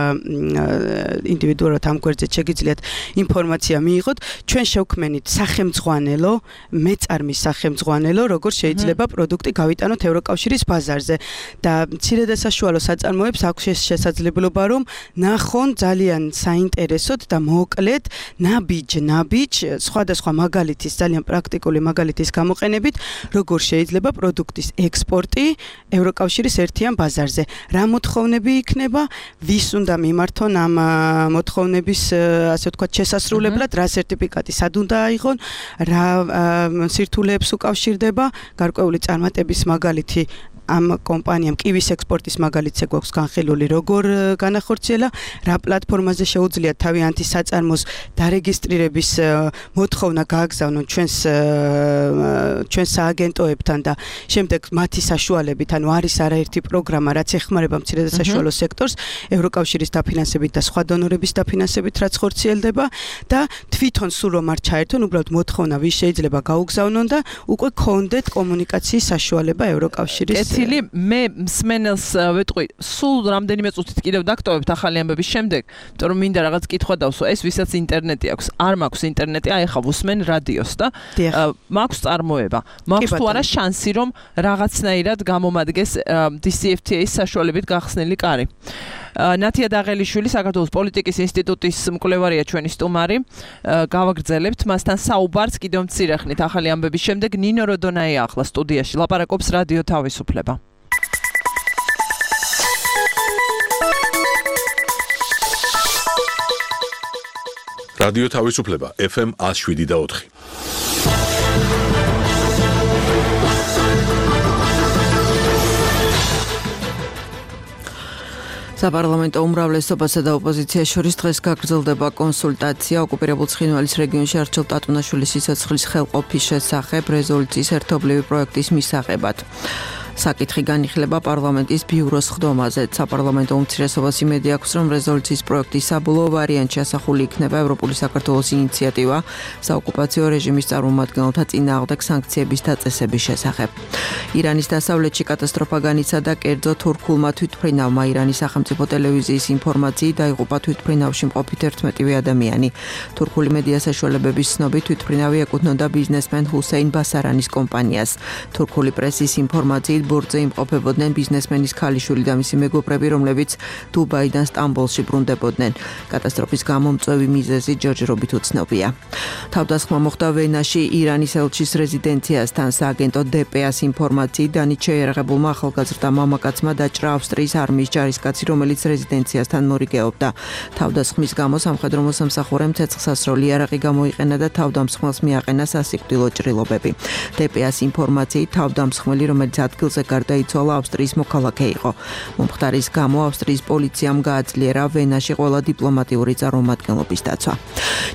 ინდივიდუალურად ამ გვერდზე შეგიძლიათ ინფორმაცია მიიღოთ. ჩვენ შევქმნით სახელმძღვანელო, მეწარმის სახელმძღვანელო, როგორ შეიძლება პროდუქტი გავიტანოთ ევროკავშირის ბაზარზე და მცირე და საშუალო საწარმოებს აქვს შესაძლებლობა რომ ნახონ ძალიან საინტერესოდ და მოკლედ ნაბიჯ სხვადასხვა მაგალითის, ძალიან პრაქტიკული მაგალითის გამოყენებით, როგორ შეიძლება პროდუქტის ექსპორტი ევროკავშირის ერთიან ბაზარზე. რა მოთხოვნები იქნება, ვის უნდა მიმართონ ამ მოთხოვნების ასე ვთქვათ შესასრულებლად, რა სერტიფიკატი სად უნდა აიღონ, რა სირთულეებს უკავშირდება, გარკვეული წარმატების მაგალითი ამ კომპანიამ კივის ექსპორტის მაგალითზე გვაქვს განხილული როგორ განახორციელა, რა პლატფორმაზე შეუძლია თავიანთი საწარმოს დარეგისტრირების მოთხოვნა გააგზავნონ ჩვენს სააგენტოებთან და შემდეგ მათი საშუალებით, ანუ არის არაერთი პროგრამა, რაც ეხმარება მცირე და საშუალო სექტორს, ევროკავშირის დაფინანსებით და სხვა დონორების დაფინანსებით, რაც ხორციელდება და თვითონ სულ რომ არ ჩაერთონ, უბრალოდ მოთხოვნა ვის შეიძლება გაუგზავნონ და უკვე გქონდეთ კომუნიკაციის საშუალება ევროკავშირის. კეთილი, მე მსმენელს ვეტყვი, სულ რამდენიმე წუთით კიდევ დაგტოვებთ ახალი ამბების შემდეგ, იმიტომ რომ მინდა რაღაც კითხვა დავსვა, ეს ვისაც ინტერნეტი აქვს, არ მაქვს ინტერნეტი, აი ახლა ვუსმენ რადიოს და მაქვს წარმოება. მაქვს თუ არა შანსი რომ რაღაცნაირად გამომადგეს DCFTA-ის საშუალებით გახსნილი კარი. ნათია დაღელიშვილი, საქართველოს პოლიტიკის ინსტიტუტის მკვლევარია ჩვენი სტუმარი. გავაგრძელებთ მასთან საუბარს კიდევ მცირე ხნით ახალი ამბების შემდეგ. ნინო როდონაია ახლა სტუდიაში ლაპარაკობს რადიო თავისუფლება. რადიო თავისუფლება FM 107.4. საპარლამენტო უმრავლესობასა და ოპოზიციას შორის დღეს გაგრძელდება კონსულტაცია ოკუპირებულ ცხინვალის რეგიონში არჩილ ტატუნაშვილის სიცოცხლის ხელყოფის შესახებ რეზოლუციის ერთობლივი პროექტის მისაღებად. საკითხი განიხილება პარლამენტის ბიუროს ხდომაზე. საპარლამენტო უმცირესობას იმედი აქვს, რომ რეზოლუციის პროექტის საბოლოო ვარიანტში ასახული იქნება ევროპული საქართველოს ინიციატივა საოკუპაციო რეჟიმის წარმომადგენელთა წინააღმდეგ სანქციების დაწესების შესახებ. ირანის დასავლეთში კატასტროფა განიცადა კერძო თურქულმა თვითმფრინავმა. ირანის სახელმწიფო ტელევიზიის ინფორმაციით დაიღუპა თვითმფრინავში მყოფი 11 ადამიანი. თურქული მედია საშუალებების ცნობით თვითმფრინავი ეკუთვნოდა ბიზნესმენ ჰუსეინ ბასარანის კომპანიას. თურქული პრესის ინფორმაციით ბორტზე იმყოფებოდნენ ბიზნესმენის ქალიშვილი და მისი მეგობრები, რომლებიც დუბაიდან სტამბოლში ბრუნდებოდნენ. კატასტროფის გამომწვევი მიზეზი ჯერჯერობით უცნობია. თავდასხმა მოხდა ვენაში ირანის ელჩის რეზიდენციასთან. სააგენტო DPA-ს ინფორმაციით დანით შეიარაღებულმა ახალგაზრდა მამაკაცმა დაჭრა ავსტრიის არმიის ჯარისკაცი, რომელიც რეზიდენციასთან მორიგეობდა. თავდასხმის გამო სამხედრო მოსამსახურემ ცეცხლსასროლი იარაღი გამოიყენა და თავდამსხმელს მიაყენა სასიკვდილო ჭრილობები. DPA-ს ინფორმაციით თავდამსხმელი, რომელიც ადგილზე გარდაიცვალა, ავსტრიის მოქალაქე იყო. მომხდარის გამო ავსტრიის პოლიციამ გააძლიერა ვენაში ყველა დიპლომატიური წარმომადგენლობის დაცვა.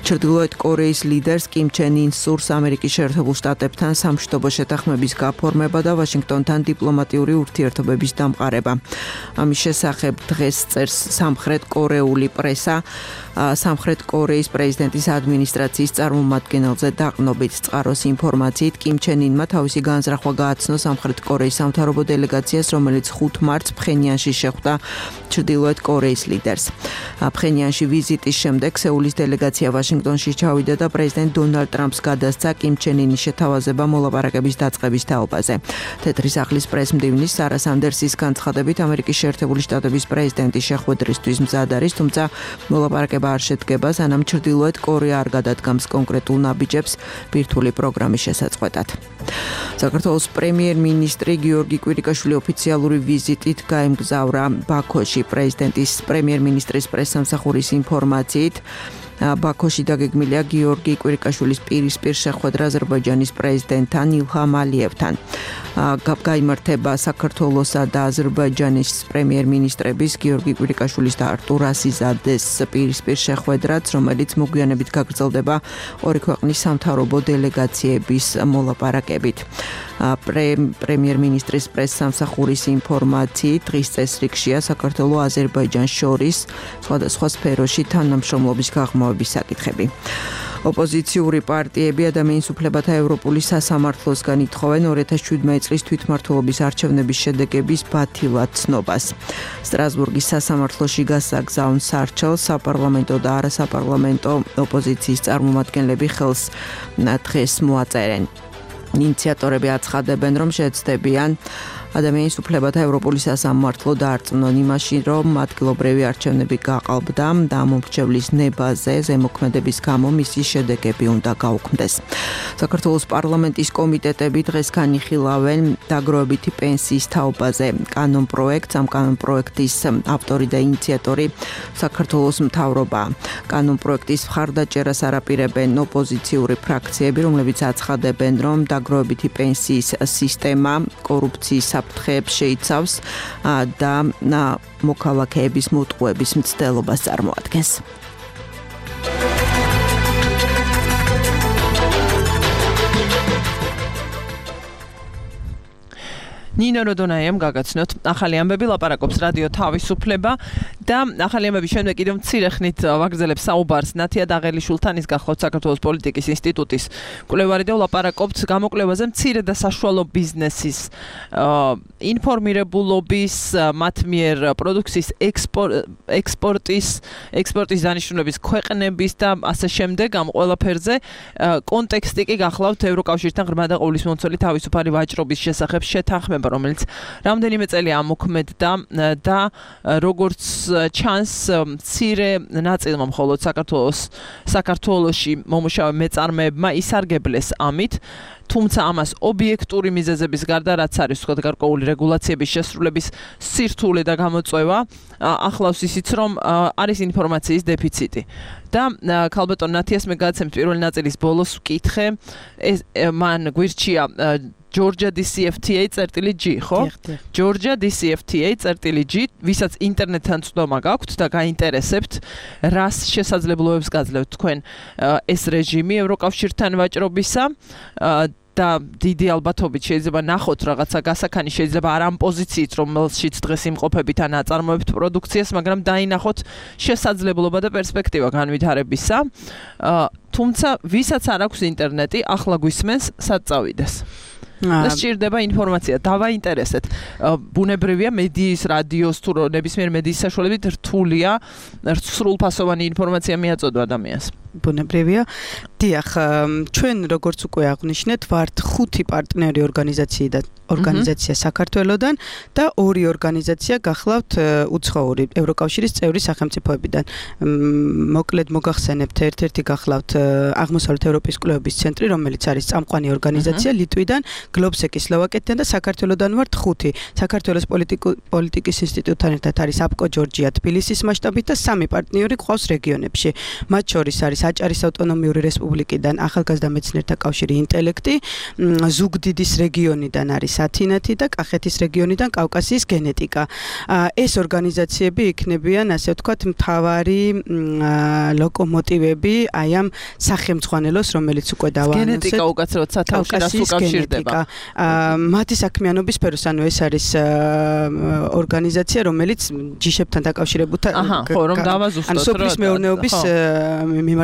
ჩრდილოეთ კორეის ლიდერს კიმ ჩენ ინს სურს ამერიკის შეერთებულ შტატებთან სამშვიდობო შეთანხმების გაფორმება და ვაშინგტონთან დიპლომატიური ურთიერთობების დამყარება. ამის შესახებ დღეს წერს სამხრეთ კორეული პრესა. სამხრეთ კორეის პრეზიდენტის ადმინისტრაციის წარმომადგენელზე დაყრდნობით წყაროს ინფორმაციით კიმ ჩენ ინმა თავისი განზრახვა გააცნო სამხრეთ კორეის სამთავრობო დელეგაციას, რომელიც 5 მარტს ფხენიანში შეხვდა ჩრდილოეთ კორეის ლიდერს. ფხენიანში ვიზიტის შემდეგ სეულის დელეგაცია ვაშინგტონში ჩავიდა და პრეზიდენტ დონალდ ტრამპს გადასცა კიმ ჩენ ინის შეთავაზება მოლაპარაკების დაწყების თაობაზე. თეთრი სახლის პრესმდივნის სარა სანდერსის განცხადებით ამერიკის შეერთებული შტატების პრეზიდენტის შეხვედრისთვის მზად არის, თუმცა მოლაპარაკება არ შედგება, სანამ ჩრდილოეთ კორეა არ გადადგამს კონკრეტულ ნაბიჯებს ბირთვული პროგრამის შესაწყვეტად. საქართველოს პრემიერ-მინისტრი გიორგი კვირიკაშვილი ოფიციალური ვიზიტით გაემგზავრა ბაქოში. პრეზიდენტის პრემიერ-მინისტრის პრესსამსახურის ინფორმაციით ბაქოში დაგეგმილია გიორგი კვირიკაშვილის პირისპირ შეხვედრა აზერბაიჯანის პრეზიდენტთან ილჰამ ალიევთან. გაიმართება საქართველოსა და აზერბაიჯანის პრემიერ-მინისტრების გიორგი კვირიკაშვილის და არტურ ასიზადეს პირისპირ შეხვედრაც, რომელიც მოგვიანებით გაგრძელდება ორი ქვეყნის სამთავრობო დელეგაციების მოლაპარაკებით. პრემიერ-მინისტრის პრესსამსახურის ინფორმაციით დღის წესრიგშია საქართველოს აზერბაიჯანს შორის სხვადასხვა სფეროში თანამშრომლობის გაღრმავების საკითხები. ოპოზიციური პარტიები ადამიანის უფლებათა ევროპული სასამართლოსგან ითხოვენ 2017 წლის თვითმმართველობის არჩევნების შედეგების ბათილად ცნობას. სტრასბურგის სასამართლოში გასაგზავნ სარჩელს საპარლამენტო და არასაპარლამენტო ოპოზიციის წარმომადგენლები ხელს დღეს მოაწერენ. ინიციატორები აცხადებენ, რომ შეეცდებიან ადამიანის უფლებათა ევროპული სასამართლო დაარწმუნონ იმაში, რომ ადგილობრივი არჩევნები გაყალბდა და მომრჩევლის ნებაზე ზემოქმედების გამო მისი შედეგები უნდა გაუქმდეს. საქართველოს პარლამენტის კომიტეტები დღეს განიხილავენ დაგროვებითი პენსიის თაობაზე კანონპროექტს. ამ კანონპროექტის ავტორი და ინიციატორი საქართველოს მთავრობა. კანონპროექტის მხარდაჭერას არაპირებენ ოპოზიციური ფრაქციები, რომლებიც აცხადებენ, რომ დაგროვებითი პენსიის სისტემა კორუფციის საფრთხეებს შეიცავს და მოქალაქეების მოტყუების მცდელობას წარმოადგენს. ნინო როდონაიამ გაგაცნოთ ახალი ამბები ლაპარაკობს რადიო თავისუფლება და ახალი ამბების შემდეგ კიდევ მცირე ხნით ვაგრძელებს საუბარს ნათია დაღელიშვილთან ის გახლავთ საქართველოს პოლიტიკის ინსტიტუტის კვლევარი და ვლაპარაკობთ გამოკვლევაზე მცირე და საშუალო ბიზნესის ინფორმირებულობის მათ მიერ პროდუქციის ექსპორტის დანიშნულების ქვეყნების და ასე შემდეგ ამ ყველაფერზე კონტექსტი კი გახლავთ ევროკავშირთან ღრმა და ყოვლისმომცველი თავისუფალი ვაჭრობის შესახებ შეთანხმება რომელიც რამდენიმე წელი ამოქმედდა და როგორც ჩანს მცირე ნაწილმა მხოლოდ საქართველოში მომუშავე მეწარმეებმა ისარგებლეს ამით თუმცა ამას ობიექტური მიზეზების გარდა რაც არის თქვა გარკვეული რეგულაციების შესრულების სირთულე და გამოწვევა ახლავს ისიც რომ არის ინფორმაციის დეფიციტი და ქალბატონ ნათიას მე გადაცემთ პირველი ნაწილის ბოლოს ვკითხე მან გვირჩია Georgia DCFTA.G, ხო? Georgia DCFTA.G, ვისაც ინტერნეტთან წვდომა გაქვთ და გაინტერესებთ, რას შესაძლებლობებს გაძლევთ თქვენ ეს რეჟიმი ევროკავშირთან ვაჭრობისა და დიდი ალბათობით შეიძლება ნახოთ რაღაცა გასაქანი შეიძლება არ ამ პოზიციით რომელშიც დღეს იმყოფებით ან აწარმოებთ პროდუქციას, მაგრამ დაინახოთ შესაძლებლობა და პერსპექტივა განვითარებისა. თუმცა ვისაც არ აქვს ინტერნეტი, ახლა გვისმენს სად წავიდეს. და სჭირდება ინფორმაცია. დავაინტერესეთ. ბუნებრივია მედიის, რადიოს თუ ნებისმიერ მედიის საშუალებით რთულია სრულფასოვანი ინფორმაცია მიაწოდო ადამიანს. ბუნებრივია. დიახ, ჩვენ როგორც უკვე აღნიშნეთ, ვართ 5 პარტნიორი ორგანიზაცია საქართველოსდან და 2 ორგანიზაცია გახლავთ უცხოური ევროკავშირის წევრი სახელმწიფოებიდან. მოკლედ მოგახსენებთ, ერთ-ერთი გახლავთ აღმოსავლეთ ევროპის კვლევების ცენტრი, რომელიც არის წამყვანი ორგანიზაცია ლიტვიდან, გლობსეკი სლოვაკეთიდან და საქართველოსდან ვართ 5. საქართველოს პოლიტიკის ინსტიტუტთან ერთად არის აპკო ჯორჯია თბილისის მასშტაბით და 3 პარტნიორი ყავს რეგიონებში. მათ შორის არის აჭარის ავტონომიური რესპუბლიკიდან ახალგაზრდა მეცნიერთა კავშირი ინტელექტი, ზუგდიდის რეგიონიდან არის ათინათი და კახეთის რეგიონიდან კავკასიის გენეტიკა. ეს ორგანიზაციები იქნებიან, ასე ვთქვათ, მთავარი ლოკომოტივები აი ამ სახელმძღვანელოს, რომელიც უკვე დავაანონსეთ. გენეტიკა უკაცრავად სათავეში რას უკავშირდება. მათი საქმიანობის სფეროს, ანუ ეს არის ორგანიზაცია, რომელიც ჯიშებთან დაკავშირებულა, ანუ სოფლის მეურნეობის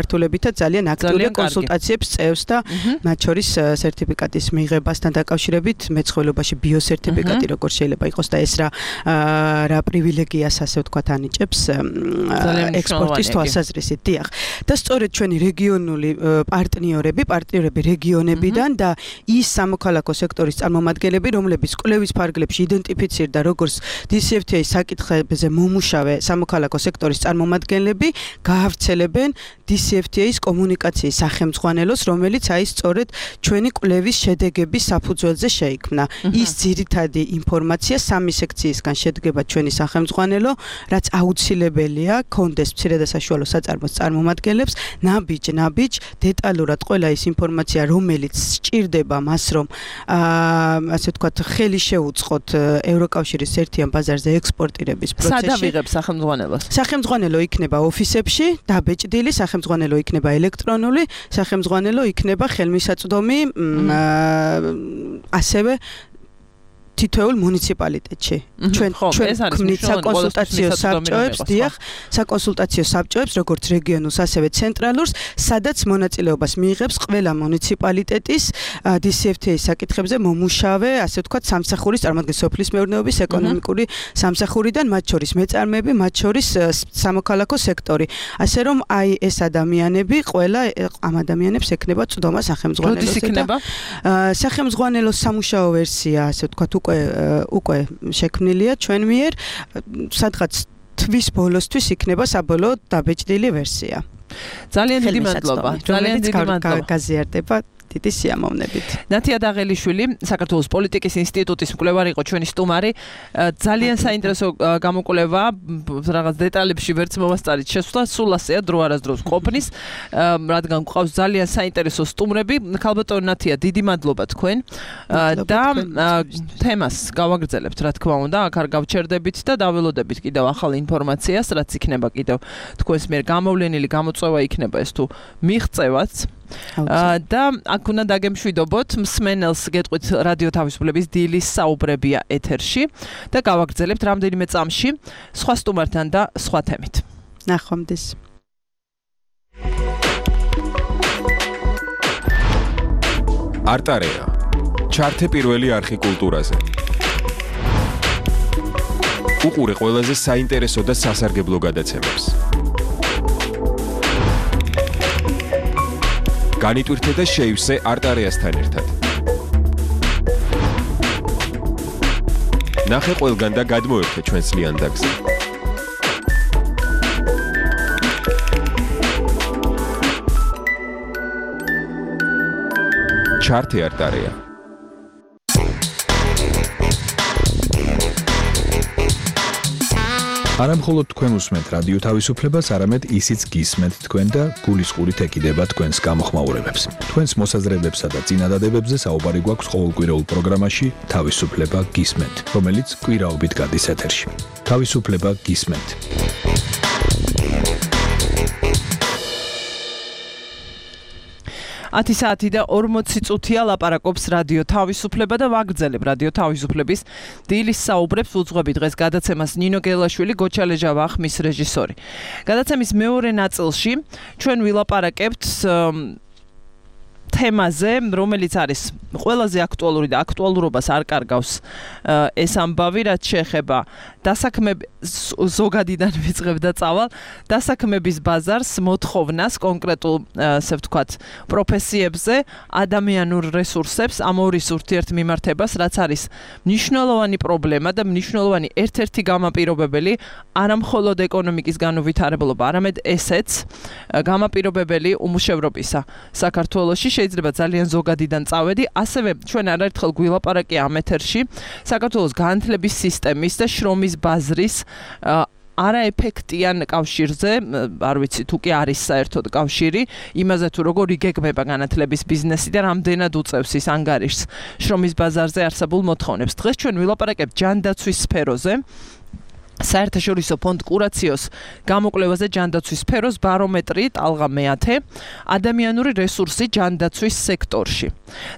მიმართულებითაც ძალიან აქტიური კონსულტაციებს წევს და მათ შორის სერტიფიკატის მიღებასთან დაკავშირებით მეცხოველობაში ბიოსერტიფიკატი როგორ შეიძლება იყოს და ეს რა პრივილეგიას ასე ვთქვათ ანიჭებს ექსპორტის თვალსაზრისით. დიახ. და სწორედ ჩვენი რეგიონული პარტნიორები რეგიონებიდან და ის სამოქალაქო სექტორის წარმომადგენლები, რომლებიც კვლევის ფარგლებში იდენტიფიცირდა როგორც DCFTA-ის საკითხებზე მომუშავე სამოქალაქო სექტორის წარმომადგენლები, გაავრცელებენ DCFTA-ის კომუნიკაციის სახელმძღვანელოს, რომელიც აი სწორედ ჩვენი კვლევის შედეგების საფუძველზე შეიქმნა. ის ძირითადი ინფორმაცია 3 სექციისგან შედგება ჩვენი სახელმძღვანელო, რაც აუცილებელია კონდეს მცირე და საშუალო საწარმოს წარმომადგენლებს, ნაბიჯ დეტალურად ყველა ის ინფორმაცია, რომელიც სჭირდება მას, რომ ასე ვთქვათ, ხელი შეუწყოთ ევროკავშირის ერთიან ბაზარზე ექსპორტირების პროცესში. სად ავიღებ სახელმძღვანელოს? სახელმძღვანელო იქნება ოფისებში, დაბეჭდილი სახელმძღვანელო იქნება ელექტრონული, სახელმძღვანელო იქნება ხელმისაწვდომი, ასევე თითოეულ მუნიციპალიტეტში. ჩვენ ქმნით საკონსულტაციო საბჭოებს, დიახ, საკონსულტაციო საბჭოებს, როგორც რეგიონულს, ასევე ცენტრალურს, სადაც მონაწილეობას მიიღებს ყველა მუნიციპალიტეტის DCFTA-ის საკითხებზე მომუშავე, ასე ვთქვათ, სამსახურის წარმოადგენს სოფლის მეურნეობის ეკონომიკური სამსახურიდან, მათ შორის მეწარმეები, მათ შორის სამოქალაქო სექტორი. ასე რომ აი ეს ადამიანები, ყველა ამ ადამიანებს ექნება წვდომა სახელმძღვანელოზე და სახელმძღვანელოს სამუშაო ვერსია, ასე ვთქვათ, უკვე შექმნილია ჩვენ მიერ, სადღაც თვის ბოლოსთვის იქნება საბოლოო დაბეჭდილი ვერსია. ძალიან დიდი მადლობა. ძალიან დიდი მადლობა. გაზიარდება. დიდი სიამოვნებით. ნათია დაღელიშვილი, საქართველოს პოლიტიკის ინსტიტუტის მკვლევარი იყო ჩვენი სტუმარი. ძალიან საინტერესო გამოკვლევა, რაღაც დეტალებში ვერც მომასწარით შესვლა, სულ ასეა დრო არასდროს ყოფნის, რადგან გვყავს ძალიან საინტერესო სტუმრები. ქალბატონო ნათია, დიდი მადლობა თქვენ და თემას გავაგრძელებთ, რა თქმა უნდა, აქ არ გავჩერდებით და დაველოდებით კიდევ ახალ ინფორმაციას, რაც იქნება კიდევ თქვენს მიერ გამოვლენილი გამოწვევა იქნება ეს თუ მიღწევაც. და აქ უნდა დაგემშვიდობოთ, მსმენელს გეტყვით რადიო თავისუფლების დილის საუბრებია ეთერში და გავაგრძელებთ რამდენიმე წამში სხვა სტუმართან და სხვა თემით. ნახვამდის. არტარეა. ჩართე პირველი არხი კულტურაზე. უყურე ყველაზე საინტერესო და სასარგებლო გადაცემებს. განიტვირთე და შეივსე არტარეასთან ერთად. ნახე ყველგან და გადმოერთე ჩვენს ლიანდაგზე. ჩართე არტარეა. არამხოლოდ თქვენ უსმენთ რადიო თავისუფლებას, არამედ ისიც გისმენთ თქვენ და გულისყურით ეკიდება თქვენს გამოხმაურებებს. თქვენს მოსაზრებებსა და წინადადებებზე საუბარი გვაქვს ყოველკვირეულ პროგრამაში თავისუფლება გისმენთ, რომელიც კვირაობით გადის ეთერში. თავისუფლება გისმენთ. ათი საათი და 40 წუთია ლაპარაკობს რადიო თავისუფლება და ვაგრძელებ რადიო თავისუფლების დილის საუბრებს. უძღვები დღეს გადაცემას ნინო გელაშვილი, გოჩალეჟა ვახმის რეჟისორი. გადაცემის მეორე ნაწილში ჩვენ ვილაპარაკებთ თემაზე, რომელიც არის ყველაზე აქტუალური და აქტუალურობას არ კარგავს ეს ამბავი, რაც შეეხება ზოგადიდან ვიწყებ და წავალ დასაქმების ბაზარს, მოთხოვნას კონკრეტულ, ასე ვთქვათ, პროფესიებზე, ადამიანურ რესურსებს, ამორის ურთიერთმიმართებას, რაც არის მნიშვნელოვანი პრობლემა და მნიშვნელოვანი ერთ-ერთი გამაპირობებელი, არამხოლოდ ეკონომიკის განუვითარებლობა, არამედ ესეც გამაპირობებელი უმუშევრობისა საქართველოში. შეიძლება ძალიან ზოგადიდან წავედი, ასევე ჩვენ არაერთხელ გვილაპარაკია ამ ეთერში საქართველოს განათლების სისტემის და შრომის ბაზრის არაეფექტიან კავშირზე, არ ვიცი თუ კი არის საერთოდ კავშირი, იმაზე თუ როგორ იგეგმება განათლების ბიზნესი და რამდენად უწევს ის ანგარიშს შრომის ბაზარზე არსებულ მოთხოვნებს. დღეს ჩვენ ვილაპარაკებთ ჯანდაცვის სფეროზე. საერთაშორისო ფონდ კურაციოს გამოკვლევაზე ჯანდაცვის სფეროს ბარომეტრი ტალღა მე-10 ადამიანური რესურსი ჯანდაცვის სექტორში.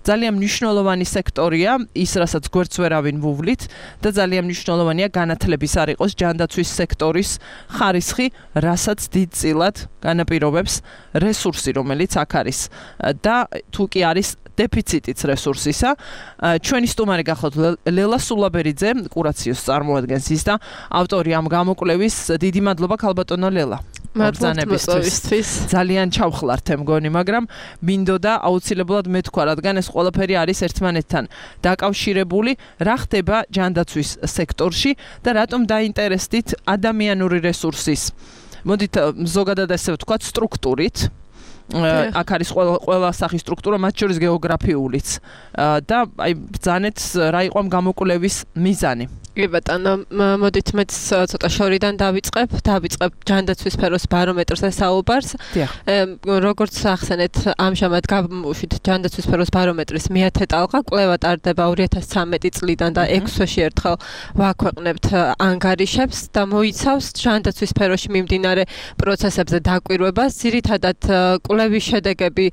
ძალიან მნიშვნელოვანი სექტორია, ის რასაც გვერდს ვერავინ ვუვლით და ძალიან მნიშვნელოვანია განათლების არ იყოს ჯანდაცვის სექტორის ხარისხი, რასაც დიდწილად განაპირობებს რესურსი, რომელიც აქ არის და თუ კი არის დეფიციტიც რესურსისა. ჩვენი სტუმარი გახლავთ ლელა სულაბერიძე, კურაციოს წარმოადგენს ის და ავტორი ამ გამოკვლევის. დიდი მადლობა ქალბატონო ლელა. მადლობისთვის. ძალიან ჩავხლართ მგონი, მაგრამ მინდოდა აუცილებლად მეთქვა, რადგან ეს ყველაფერი არის ერთმანეთთან დაკავშირებული. რა ხდება ჯანდაცვის სექტორში და რატომ დაინტერესდით ადამიანური რესურსის, მოდით ზოგადად ასე ვთქვათ, სტრუქტურით. აქ არის ყველა სახის სტრუქტურა, მათ შორის გეოგრაფიულიც და აი ბრძანეთ რა იყო ამ გამოკვლევის მიზანი. კი ბატონო, მოდით მეც ცოტა შორიდან დავიწყებ ჯანდაცვის სფეროს ბარომეტრზე საუბარს. როგორც ახსენეთ, ამჟამად გამოვშვით ჯანდაცვის სფეროს ბარომეტრის მე-10 ტალღა, კვლევა ტარდება 2013 წლიდან და 6 თვეში ერთხელ ვაქვეყნებთ ანგარიშებს და მოიცავს ჯანდაცვის სფეროში მიმდინარე პროცესებზე დაკვირვებას. ძირითადად კვლევის შედეგები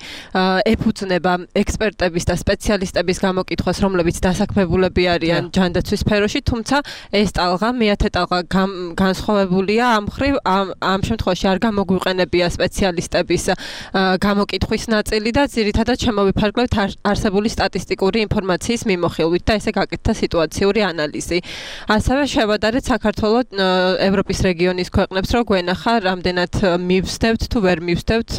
ეფუძნება ექსპერტების და სპეციალისტების გამოკითხვას, რომლებიც დასაქმებულები არიან ჯანდაცვის სფეროში, თუმცა ეს ტალღა მე-10 ტალღა განსხვავებულია ამ მხრივ, ამ შემთხვევაში არ გამოგვიყენებია სპეციალისტების გამოკითხვის ნაწილი და ძირითადად შემოვიფარგლებთ არსებული სტატისტიკური ინფორმაციის მიმოხილვით და ესე გაკეთდა სიტუაციური ანალიზი. ასევე შევადარეთ საქართველოს ევროპის რეგიონის ქვეყნებს, რომ გვენახა რამდენად მივსდევთ თუ ვერ მივსდევთ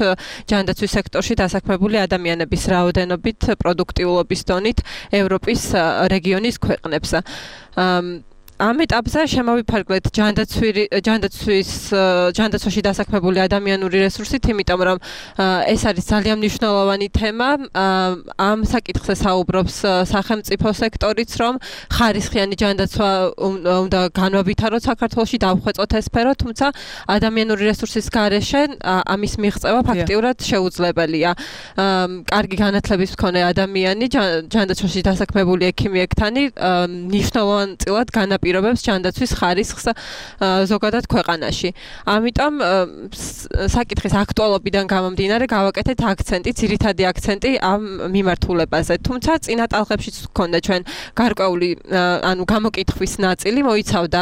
ჯანდაცვის სექტორში დასაქმებული ადამიანების რაოდენობით, პროდუქტიულობის დონით ევროპის რეგიონის ქვეყნებს. ამ ეტაპზე შემოვიფარგლეთ ჯანდაცვაში დასაქმებული ადამიანური რესურსით, იმიტომ რომ ეს არის ძალიან მნიშვნელოვანი თემა. ამ საკითხზე საუბრობს სახელმწიფო სექტორიც, რომ ხარისხიანი ჯანდაცვა უნდა განვავითაროთ საქართველოში, დავხვეწოთ ეს სფერო, თუმცა ადამიანური რესურსის გარეშე ამის მიღწევა ფაქტიურად შეუძლებელია. კარგი განათლების მქონე ადამიანი ჯანდაცვაში დასაქმებული ექიმი-ექთანი მნიშვნელოვანწილად განაპირობებს ჯანდაცვის ხარისხს ზოგადად ქვეყანაში. ამიტომ საკითხის აქტუალობიდან გამომდინარე გავაკეთეთ აქცენტი, ძირითადი აქცენტი ამ მიმართულებაზე. თუმცა წინა ტალღებშიც გქონდა ჩვენ გარკვეული გამოკითხვის ნაწილი, მოიცავდა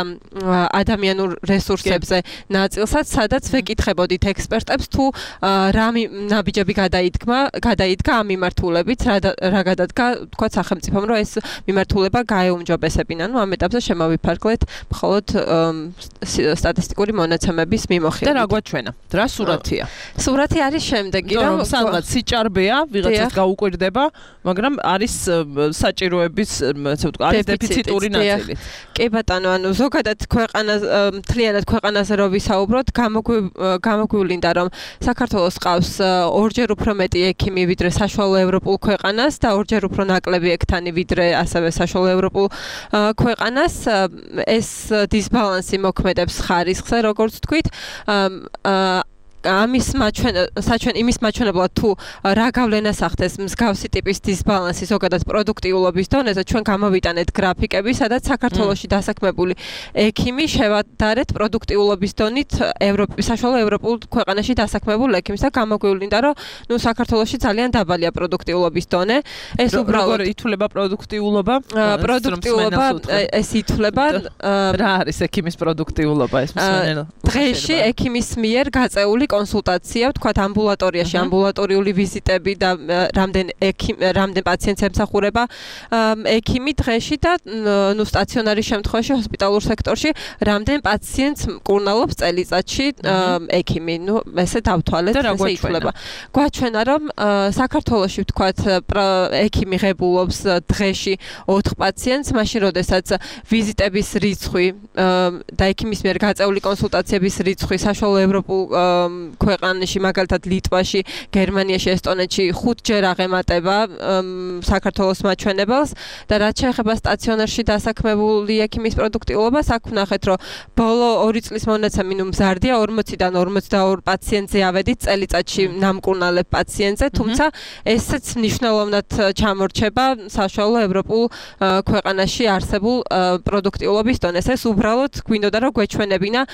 ადამიანურ რესურსებზე ნაწილსაც, სადაც ვეკითხებოდით ექსპერტებს თუ რა ნაბიჯები გადაიდგა ამ მიმართულებით, რა გადადგა თქვა სახელმწიფომ, რომ ეს მიმართულება გაეუმჯობესებინა. ამ ეტაპზე შემოვიფარგლეთ მხოლოდ სტატისტიკური მონაცემების მიმოხილვით. და რა გვაჩვენა? რა სურათია? სურათი არის შემდეგი, რომ სადღაც სიჭარბეა, ვიღაცას გაუკვირდება, მაგრამ არის საჭიროების, ასე ვთქვა, არის დეფიციტური ნაწილი. კი ბატონო, ზოგადად მთლიანად ქვეყანაზე რო ვისაუბროთ, გამოგვივლინდა, რომ საქართველოს ყავს ორჯერ უფრო მეტი ექიმი ვიდრე საშუალო ევროპულ ქვეყანას და ორჯერ უფრო ნაკლები ექთანი ვიდრე ასევე საშუალო ევროპულ ქვეყანას. ეს დისბალანსი მოქმედებს ხარისხზე, როგორც თქვით. ამის მაჩვენებლად თუ რა გავლენას ახდენს მსგავსი ტიპის დისბალანსი ზოგადად პროდუქტიულობის დონეზე, ჩვენ გამოვიტანეთ გრაფიკები, სადაც საქართველოში დასაქმებული ექიმი შევადარეთ პროდუქტიულობის დონით საშუალო ევროპულ ქვეყანაში დასაქმებულ ექიმს და გამოგვივლინდა, რომ საქართველოში ძალიან დაბალია პროდუქტიულობის დონე. ეს უბრალოდ ითვლება პროდუქტიულობა? პროდუქტიულობა ეს ითვლება. რა არის ექიმის პროდუქტიულობა ეს მსმენელო? დღეში ექიმის მიერ გაწეული კონსულტაცია, ვთქვათ, ამბულატორიაში, ამბულატორიული ვიზიტები და რამდენ პაციენტს ემსახურება ექიმი დღეში და სტაციონარის შემთხვევაში ჰოსპიტალურ სექტორში რამდენ პაციენტს მკურნალობს წელიწადში ექიმი. ესე დავთვალეთ, ესე ითვლება. გვაჩვენა, რომ საქართველოში, ვთქვათ, ექიმი ღებულობს დღეში 4 პაციენტს, მაშინ როდესაც ვიზიტების რიცხვი და ექიმის მიერ გაწეული კონსულტაციების რიცხვი საშუალო ევროპულ ქვეყანაში, მაგალითად ლიტვაში, გერმანიაში, ესტონეთში 5-ჯერ აღემატება საქართველოს მაჩვენებელს და რაც შეეხება სტაციონარში დასაქმებული ექიმის პროდუქტიულობას, აქ ვნახეთ, რომ ბოლო 2 წლის მონაცემი მზარდია 40-დან 42 პაციენტზე ავედით წელიწადში ნამკურნალებ პაციენტზე, თუმცა ესეც მნიშვნელოვნად ჩამორჩება საშუალო ევროპულ ქვეყანაში არსებულ პროდუქტიულობის დონეს. ეს უბრალოდ გვინდოდა რომ გვეჩვენებინა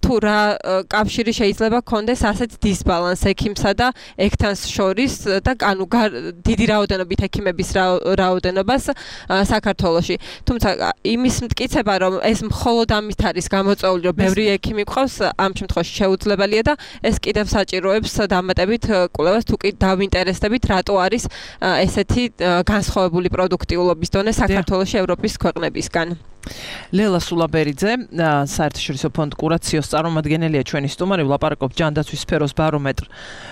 თუ რა კავშირი შეიძლება გქონდეს ასეთ დისბალანს ექიმსა და ექთანს შორის და დიდი რაოდენობით ექიმების რაოდენობას საქართველოში. თუმცა იმის მტკიცება, რომ ეს მხოლოდ ამით არის გამოწვეული, რომ ბევრი ექიმი გყავს, ამ შემთხვევაში შეუძლებელია და ეს კიდევ საჭიროებს დამატებით კვლევას, თუ კი დავინტერესდებით, რატო არის ესეთი განსხვავებული პროდუქტიულობის დონე საქართველოში ევროპის ქვეყნებისგან. ლელა სულაბერიძე, საერთაშორისო ფონდ კურაციოს წარმომადგენელია ჩვენი სტუმარი, ვლაპარაკობ ჯანდაცვის სფეროს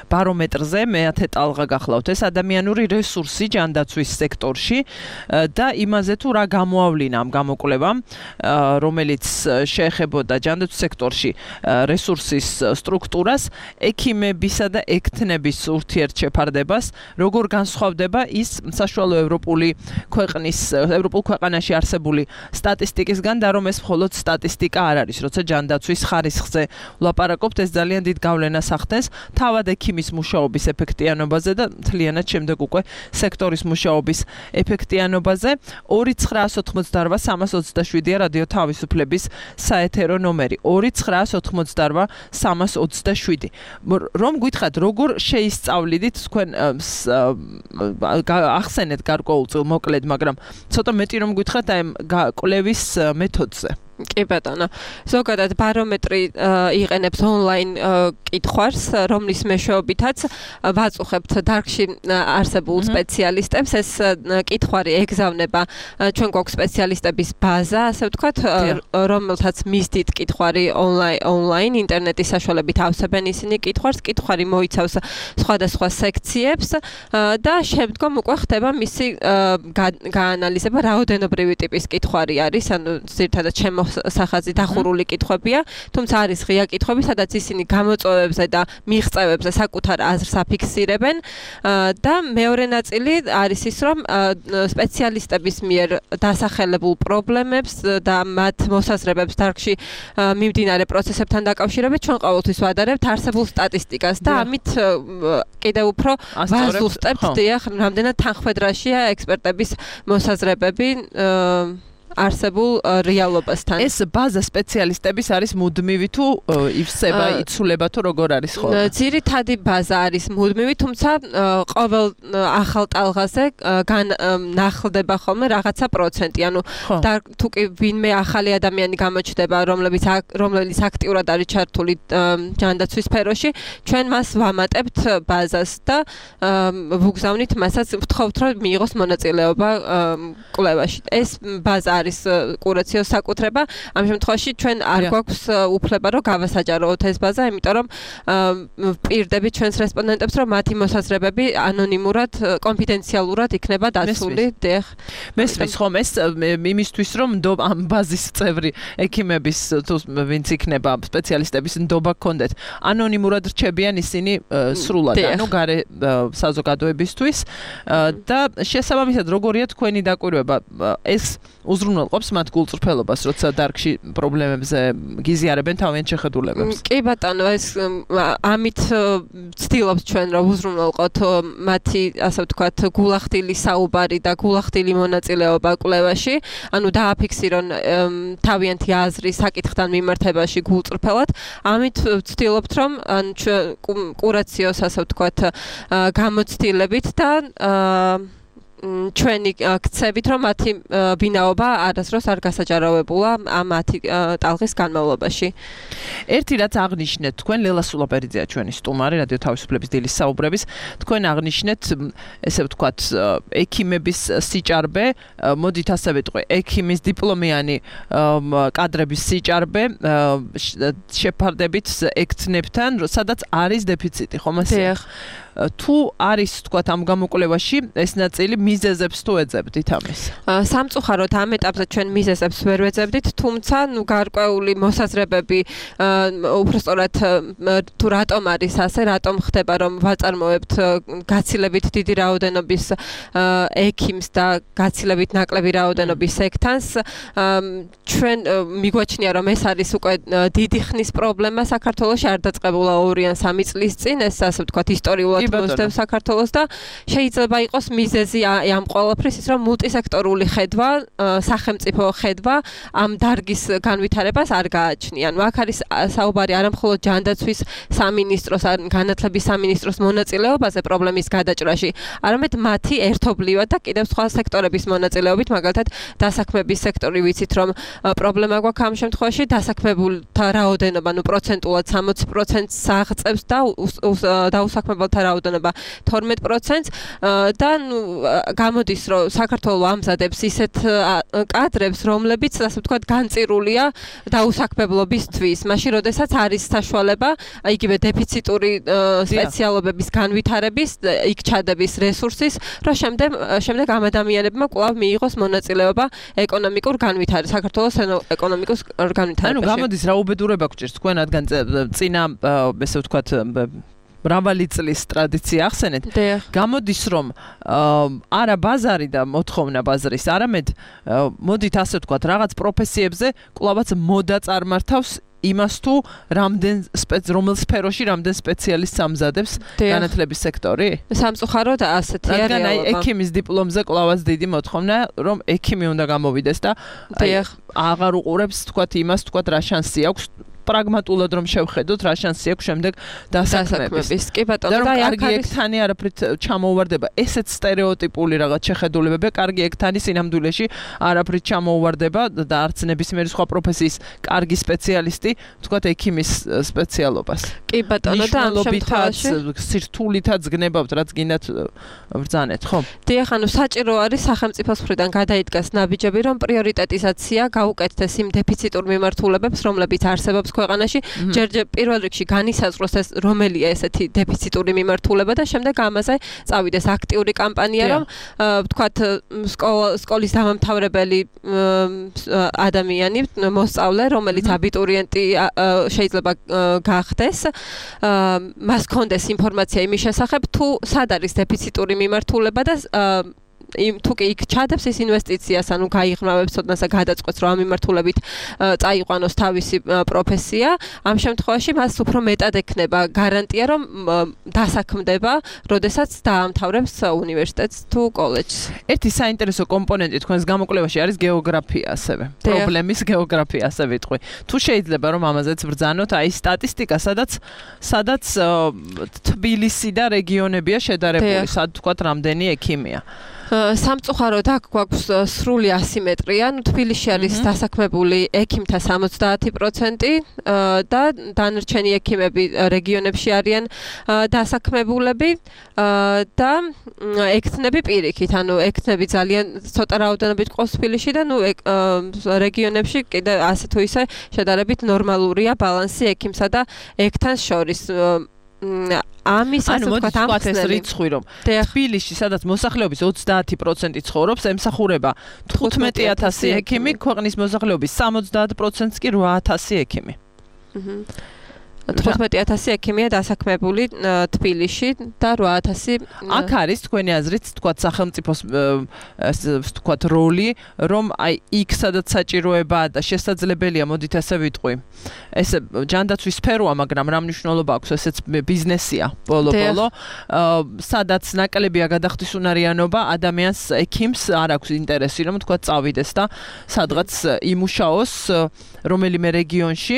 ბარომეტრზე, მეათე ტალღა გახლავთ. ეს ადამიანური რესურსი ჯანდაცვის სექტორში და იმაზე თუ რა გამოავლინა ამ გამოკვლევამ, რომელიც შეეხებოდა ჯანდაცვის სექტორში რესურსის სტრუქტურას, ექიმებისა და ექთნების ურთიერთშეფარდებას, როგორ განსხვავდება ის საშუალო ევროპულ ქვეყანაში არსებული სტატისტიკისგან და რომ ეს მხოლოდ სტატისტიკა არ არის, როცა ჯანდაცვის ხარისხზე ვლაპარაკობთ, ეს ძალიან დიდ გავლენას ახდენს თავად ექიმის მუშაობის ეფექტიანობაზე და მთლიანად შემდეგ უკვე სექტორის მუშაობის ეფექტიანობაზე. 2988327-ია რადიო თავისუფლების საეთერო ნომერი. 2988327. რომ გითხრათ, როგორ შეისწავლიდით თქვენ ახსენეთ გარკვეულწილ მოკლედ, მაგრამ ცოტა მეტი რომ გითხრათ აი კვლევის მეთოდზე. კი ბატონო. ზოგადად ბარომეტრი იყენებს ონლაინ კითხვას, რომლის მეშვეობითაც ვაწუხებთ დარგში არსებულ სპეციალისტებს. ეს კითხვარი ეგზავნება ჩვენ გვაქვს სპეციალისტების ბაზა, ასე ვთქვათ, რომელთაც მისდით კითხვარი ონლაინ ინტერნეტის საშუალებით ავსებენ ისინი კითხვას. კითხვარი მოიცავს სხვადასხვა სექციებს და შემდგომ უკვე ხდება მისი გაანალიზება, რაოდენობრივი ტიპის კითხვარი არის, ანუ ძირითადად სახაზი დახურული კითხვებია, თუმცა არის ღია კითხვები, სადაც ისინი გამოწვევებზე და მიღწევებზე საკუთარ აზრს აფიქსირებენ და მეორე ნაწილი არის ის, რომ სპეციალისტების მიერ დასახელებულ პრობლემებს და მათ მოსაზრებებს დარგში მიმდინარე პროცესებთან დაკავშირებით ჩვენ ყოველთვის ვადარებთ არსებულ სტატისტიკას და ამით კიდევ უფრო ვაზუსტებთ, რამდენად თანხმედრაშია ექსპერტების მოსაზრებები არსებულ რეალობასთან. ეს ბაზა სპეციალისტების არის მუდმივი თუ ივსება, იცვლება თუ როგორ არის ხოლმე? ძირითადი ბაზა არის მუდმივი, თუმცა ყოველ ახალ ტალღაზე ნახლდება ხოლმე რაღაცა პროცენტი. ანუ თუ კი ვინმე ახალი ადამიანი გამოჩნდება, რომელიც აქტიურად არის ჩართული ჯანდაცვის სფეროში, ჩვენ მას ვამატებთ ბაზას და ვუგზავნით მასაც, ვთხოვთ, რომ მიიღოს მონაწილეობა კვლევაში. ეს ბაზა არის კურაციოს საკუთრება. ამ შემთხვევაში ჩვენ არ გვაქვს უფლება რომ გავასაჯაროოთ ეს ბაზა, იმიტომ რომ პირდებით ჩვენს რესპონდენტებს რომ მათი მოსაზრებები ანონიმურად, კონფიდენციალურად იქნება დაცული. მესმის ხომ ეს იმისთვის რომ ამ ბაზის წევრი ექიმების თუ ვინც იქნება სპეციალისტების ნდობა გქონდეთ, ანონიმურად რჩებიან ისინი სრულად, ანუ გარე საზოგადოებისთვის და შესაბამისად როგორია თქვენი დაკვირვება ეს უზრუნველყოფს მათ გულწრფელობას, როცა დარგში პრობლემებზე გიზიარებენ თავიანთ შეხედულებებს. კი ბატონო, ეს ამით ვცდილობთ ჩვენ რომ უზრუნველყოთ მათი, ასე ვთქვათ, გულახდილი საუბარი და გულახდილი მონაწილეობა კვლევაში, ანუ დააფიქსირონ თავიანთი აზრი საკითხთან მიმართებაში გულწრფელად. ამით ვცდილობთ რომ კურაციოს, ასე ვთქვათ, გამოცდილებით და ჩვენი ქცევით რომ მათი ბინაობა არასდროს არ გასაჯაროვებულა მათი ტალღის განმავლობაში. ერთი რაც აღნიშნეთ, თქვენ ლელა სულაპერიძეა ჩვენი სტუმარი რადიო თავისუფლების დილის საუბრების. თქვენ აღნიშნეთ, ესე ვთქვათ, ექიმების სიჭარბე, მოდით ასე ვიტყვი, ექიმის დიპლომიანი კადრების სიჭარბე შეფარდებით ექცნებთან, სადაც არის დეფიციტი, ხომ ასე? თუ არის თქვათ ამ გამოკვლევაში ეს ნაწილი მიზეზებს თუ ეძებდით ამის? სამწუხაროდ ამ ეტაპზე ჩვენ მიზეზებს ვერ ვეძებდით, თუმცა გარკვეული მოსაზრებები უბრალოდ თუ რატომ არის ასე, რატომ ხდება რომ ვაწარმოებთ გაცილებით დიდი რაოდენობის ექიმს და გაცილებით ნაკლები რაოდენობის სექტანს, ჩვენ მიგვაჩნია რომ ეს არის უკვე დიდი ხნის პრობლემა საქართველოში, არ დაწყებულა 2 ან 3 წლის წინ, ეს ასე ვთქვათ ისტორიულად მოსდევს საქართველოს და შეიძლება იყოს მიზეზი ამ ყველაფრის ის რომ მულტისექტორული ხედვა, სახელმწიფო ხედვა ამ დარგის განვითარებას არ გააჩნია. ანუ აქ არის საუბარი არამხოლოდ ჯანდაცვის სამინისტროს, განათლების სამინისტროს მონაწილეობაზე პრობლემის გადაჭრაში, არამედ მათი ერთობლივად და კიდევ სხვა სექტორების მონაწილეობით, მაგალითად დასაქმების სექტორი ვიცით რომ პრობლემა გვაქვს ამ შემთხვევაში, დასაქმებულთა რაოდენობა, ნუ პროცენტულად 60%-ს აღწევს და დაუსაქმებელთა რაოდენობა 12%-ს და გამოდის რომ საქართველოს ამზადებს ისეთ კადრებს, რომლებიც ასე ვთქვათ განწირულია დაუსაქმებლობისთვის, მაშინ როდესაც არის საშუალება იგივე დეფიციტური სპეციალობების განვითარების, იქ ჩადების რესურსის, რომ შემდეგ ამ ადამიანებმა კვლავ მიიღოს მონაწილეობა ეკონომიკურ განვითარებაში, საქართველოს ეკონომიკურ განვითარებაში. ანუ გამოდის რა უბედურება გჭირს თქვენ, რადგან წინა ესე ვთქვათ მრავალი წლის ტრადიცია ახსენეთ. გამოდის რომ არა ბაზარი და მოთხოვნა ბაზრის, არამედ მოდით ასე ვთქვათ, რაღაც პროფესიებზე კვლავაც მოდა წარმართავს იმას თუ რომელ სფეროში რამდენ სპეციალისტს ამზადებს განათლების სექტორი? სამწუხაროდ ასეთია რეალობა. რადგან აი ექიმის დიპლომზე კვლავაც დიდი მოთხოვნა, რომ ექიმი უნდა გამოვიდეს და აღარ უყურებს თქვათ იმას, თქვათ რა შანსი აქვს პრაგმატულად რომ შევხედოთ, რა შანსი აქვს შემდეგ დასაქმების. კი ბატონო, და კარგი ექთანი არაფრით ჩამოუვარდება. ესეც სტერეოტიპული რაღაც შეხედულებებია, კარგი ექთანი სინამდვილეში არაფრით ჩამოუვარდება და არც ნებისმიერი სხვა პროფესიის კარგი სპეციალისტი, თქვათ ექიმის სპეციალობას. კი ბატონო, და ამ შემთხვევაში სირთულითაც გნებავთ, რაც გინდათ ბრძანეთ, ხო? დიახ, ანუ საჭირო არის სახელმწიფოს მხრიდან გადაიდგას ნაბიჯები, რომ პრიორიტეტიზაცია გაუკეთდეს იმ დეფიციტურ მიმართულებებს, რომლებიც არსებობს ქვეყანაში, ჯერ პირველ რიგში განისაზღვროს ეს რომელია ესეთი დეფიციტური მიმართულება და შემდეგ ამაზე წავიდეს აქტიური კამპანია, რომ ვთქვათ, სკოლის დამამთავრებელი ადამიანი, მოსწავლე, რომელიც აბიტურიენტი შეიძლება გახდეს, მას ჰქონდეს ინფორმაცია იმის შესახებ, თუ სად არის დეფიციტური მიმართულება და თუ კი იქ ჩადებს ეს ინვესტიციას, ანუ გაიღრმავებს ცოდნას და გადაწყვეტს, რომ ამ მიმართულებით წაიყვანოს თავისი პროფესია, ამ შემთხვევაში მას უფრო მეტად ექნება გარანტია, რომ დასაქმდება, როდესაც დაამთავრებს უნივერსიტეტს თუ კოლეჯს. ერთი საინტერესო კომპონენტი თქვენს გამოკვლევაში არის გეოგრაფია ასევე. პრობლემის გეოგრაფია ასე ვიტყვი. თუ შეიძლება რომ ამაზეც ბრძანოთ, აი სტატისტიკა, სადაც თბილისი და რეგიონებია შედარებული, სად თქვათ რამდენი ექიმია. სამწუხაროდ აქ გვაქვს სრული ასიმეტრია, თბილისში არის დასაქმებული ექიმთა 70% და დანარჩენი ექიმები რეგიონებში არიან დასაქმებულები და ექთნები პირიქით, ანუ ექთნები ძალიან ცოტა რაოდენობით ყავს თბილისში და რეგიონებში კიდე ასე თუ ისე შედარებით ნორმალურია ბალანსი ექიმსა და ექთანს შორის. ამის ასე ვთქვათ ეს რიცხვი რომ თბილისში სადაც მოსახლეობის 30% ცხოვრობს, ემსახურება 15000 ექიმი, ქვეყნის მოსახლეობის 70%-ს კი 8000 ექიმი. 15000 ექიმია დასაქმებული თბილისში და 8000 აქ არის თქვენი აზრით, თქვათ სახელმწიფოს თქვათ როლი, რომ აი იქ სადაც საჭიროებაა და შესაძლებელია, მოდით ასე ვიტყვი. ეს ჯანდაცვის სფეროა, მაგრამ რა მნიშვნელობა აქვს, ესეც ბიზნესია ბოლო-ბოლო. სადაც ნაკლებია გადახდისუნარიანობა, ადამიანს ექიმს არ აქვს ინტერესი, რომ თქვათ წავიდეს და სადღაც იმუშაოს რომელიმე რეგიონში,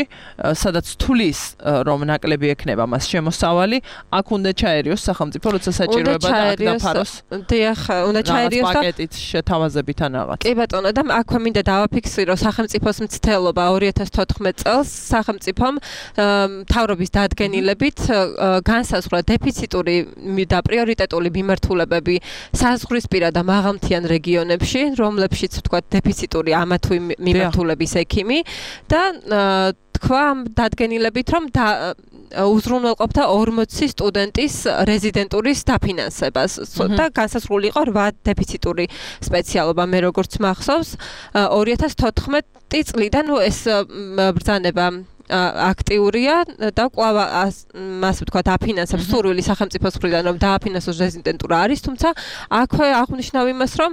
სადაც თulis რომ ნაკლები ექნება მას შემოსავალი, აქ უნდა ჩაერიოს სახელმწიფო, როცა საჭიროება და აქ დაფაროს. დიახ, უნდა ჩაერიოს და პაკეტით შეთავაზებით ან რაღაც. კი ბატონო, და აქვე მინდა დავაფიქსირო სახელმწიფოს მცდელობა 2014 წელს სახელმწიფომ მთავრობის დადგენილებით განსაზღვრა დეფიციტური და პრიორიტეტული მიმართულებები საზღვრისპირა და მაღალმთიან რეგიონებში, რომლებშიც ვთქვათ დეფიციტური ამა თუ იმ მიმართულების ექიმი და თქვა დადგენილებით, რომ უზრუნველყოფდა 40 სტუდენტის რეზიდენტურის დაფინანსებას და განსაზღვრული იყო 8 დეფიციტური სპეციალობა, მე როგორც მახსოვს, 2014 წლიდან ეს ბრძანება აქტიურია და კვლავ მას ვთქვათ აფინანსებს სურვილი სახელმწიფოს მხრიდან რომ დააფინანსოს რეზიდენტურა არის, თუმცა აქვე აღნიშნავ იმას, რომ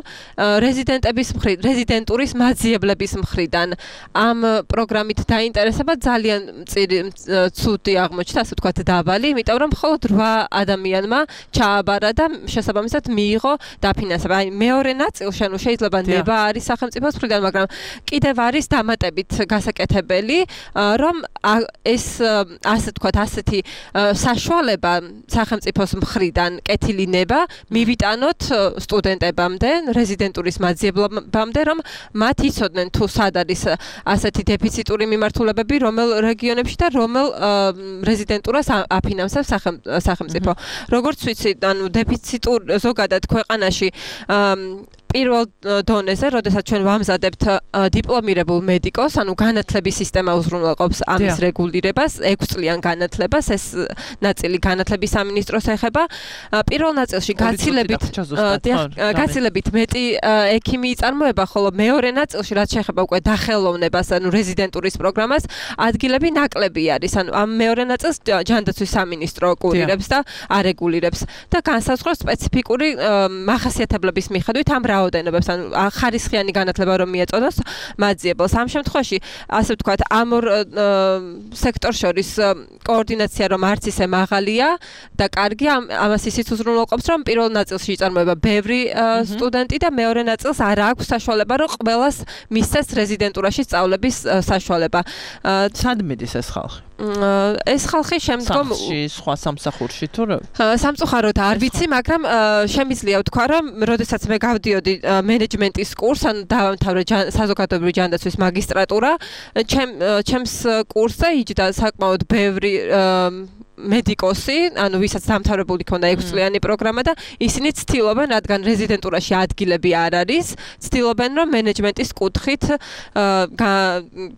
რეზიდენტურის მაძიებლების მხრიდან ამ პროგრამით დაინტერესება ძალიან ცუდი აღმოჩნდა, ასე ვთქვათ დაბალი, იმიტომ რომ მხოლოდ 8 ადამიანმა ჩააბარა და შესაბამისად მიიღო დაფინანსება. აი მეორე ნაწილში, ანუ შეიძლება ნება არის სახელმწიფოს მხრიდან, მაგრამ კიდევ არის დამატებით გასაკეთებელი, რომ ეს ასე ვთქვათ, ასეთი საშუალება სახელმწიფოს მხრიდან კეთილი ნება მივიტანოთ სტუდენტებამდე, რეზიდენტურის მაძიებლებამდე, რომ მათ იცოდნენ თუ სად არის ასეთი დეფიციტური მიმართულებები, რომელ რეგიონებში და რომელ რეზიდენტურას აფინანსებს სახელმწიფო. როგორც ვიცი, ანუ დეფიციტურ ზოგადად ქვეყანაში პირველ დონეზე, როდესაც ჩვენ ვამზადებთ დიპლომირებულ მედიკოს, ანუ განათლების სისტემა უზრუნველყოფს ამის რეგულირებას, 6 წლიან განათლებას, ეს ნაწილი განათლების სამინისტროს ეხება. პირველ ნაწილში გაცილებით მეტი ექიმი იწარმოება, ხოლო მეორე ნაწილში, რაც შეეხება უკვე დახელოვნებას, ანუ რეზიდენტურის პროგრამას, ადგილები ნაკლები არის. ანუ ამ მეორე ნაწილს ჯანდაცვის სამინისტრო კურირებს და არეგულირებს და განსაზღვრავს სპეციფიკური მახასიათებლების მიხედვით ამ რაოდენობებს, ან ხარისხიანი განათლება რომ მიეწოდოს მათ ძიებელს. ამ შემთხვევაში, ასე ვთქვათ, ამ ორ სექტორს შორის კოორდინაცია რომ არც ისე მაღალია და კარგი, ამას ისიც უზრუნველყოფს, რომ პირველ ნაწილში იწარმოება ბევრი სტუდენტი და მეორე ნაწილს არ აქვს საშუალება, რომ ყველას მისცეს რეზიდენტურაში სწავლების საშუალება. სად მიდის ეს ხალხი? ეს ხალხი შემდგომ სხვა სამსახურში თუ სამწუხაროდ არ ვიცი, მაგრამ შემიძლია ვთქვა, რომ როდესაც მე გავდიოდი მენეჯმენტის კურსს, ან დავამთავრე საზოგადოებრივი ჯანდაცვის მაგისტრატურა, ჩემს კურსზე იჯდა საკმაოდ ბევრი მედიკოსი, ანუ ვისაც დამთავრებული ქონდა 6 წლიანი პროგრამა და ისინი ცდილობენ, რადგან რეზიდენტურაში ადგილები არ არის, ცდილობენ რომ მენეჯმენტის კუთხით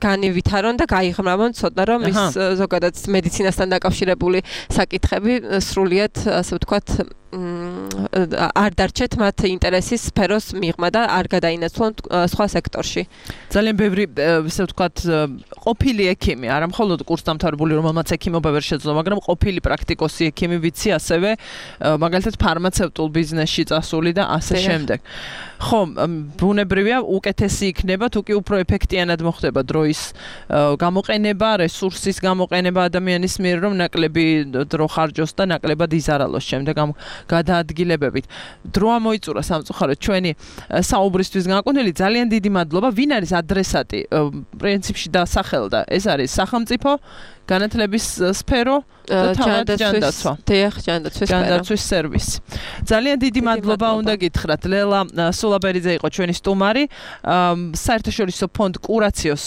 განივითარონ და გაიღრმავონ ცოდნა, რომ ის ზოგადად მედიცინასთან დაკავშირებული საკითხები სრულიად, ასე ვთქვათ, არ დარჩეთ მათ ინტერესის სფეროს მიღმა და არ გადაინაცვლონ სხვა სექტორში. ძალიან ბევრი, ასე ვთქვათ, ყოფილი ექიმი, არა მხოლოდ კურსდამთავრებული, რომელმაც ექიმობა ვერ შეძლო, მაგრამ ყოფილი პრაქტიკოსი ექიმი ვიცი ასევე, მაგალითად ფარმაცევტულ ბიზნესში წასული და ასე შემდეგ. ხო, ბუნებრივია, უკეთესი იქნება, თუ კი უფრო ეფექტიანად მოხდება დროის გამოყენება, რესურსის გამოყენება ადამიანის მიერ, რომ ნაკლები დრო ხარჯოს და ნაკლებად იზარალოს შემდეგ ამ გადაადგილებებით. დრო ამოიწურა სამწუხაროდ ჩვენი საუბრისთვის განკუთვნილი. ძალიან დიდი მადლობა. ვინ არის ადრესატი? პრინციპში დასახელდა. ეს არის სახელმწიფო განათლების სფერო და თავად ჯანდაცვა. ჯანდაცვის სერვისი. ძალიან დიდი მადლობა უნდა გითხრათ. ლელა სულაბერიძე იყო ჩვენი სტუმარი. საერთაშორისო ფონდ კურაციოს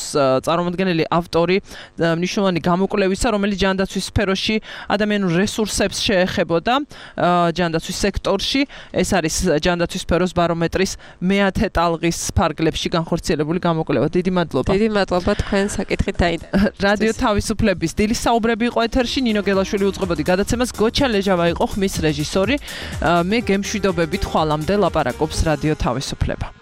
წარმომადგენელი ავტორი მნიშვნელოვანი გამოკვლევისა, რომელიც ჯანდაცვის სფეროში ადამიანურ რესურსებს შეეხებოდა ჯანდაცვის სექტორში. ეს არის ჯანდაცვის სფეროს ბარომეტრის მეათე ტალღის ფარგლებში განხორციელებული გამოკვლევა. დიდი მადლობა. დიდი მადლობა თქვენ საკითხით დაინტერესებისთვის. რადიო თავისუფლების დილის საუბრები იყო ეთერში. ნინო გელაშვილი უძღვებოდი გადაცემას. გოჩა ლეჟავა იყო ხმის რეჟისორი. მე გემშვიდობებით ხვალამდე ლაპარაკობს რადიო თავისუფლება.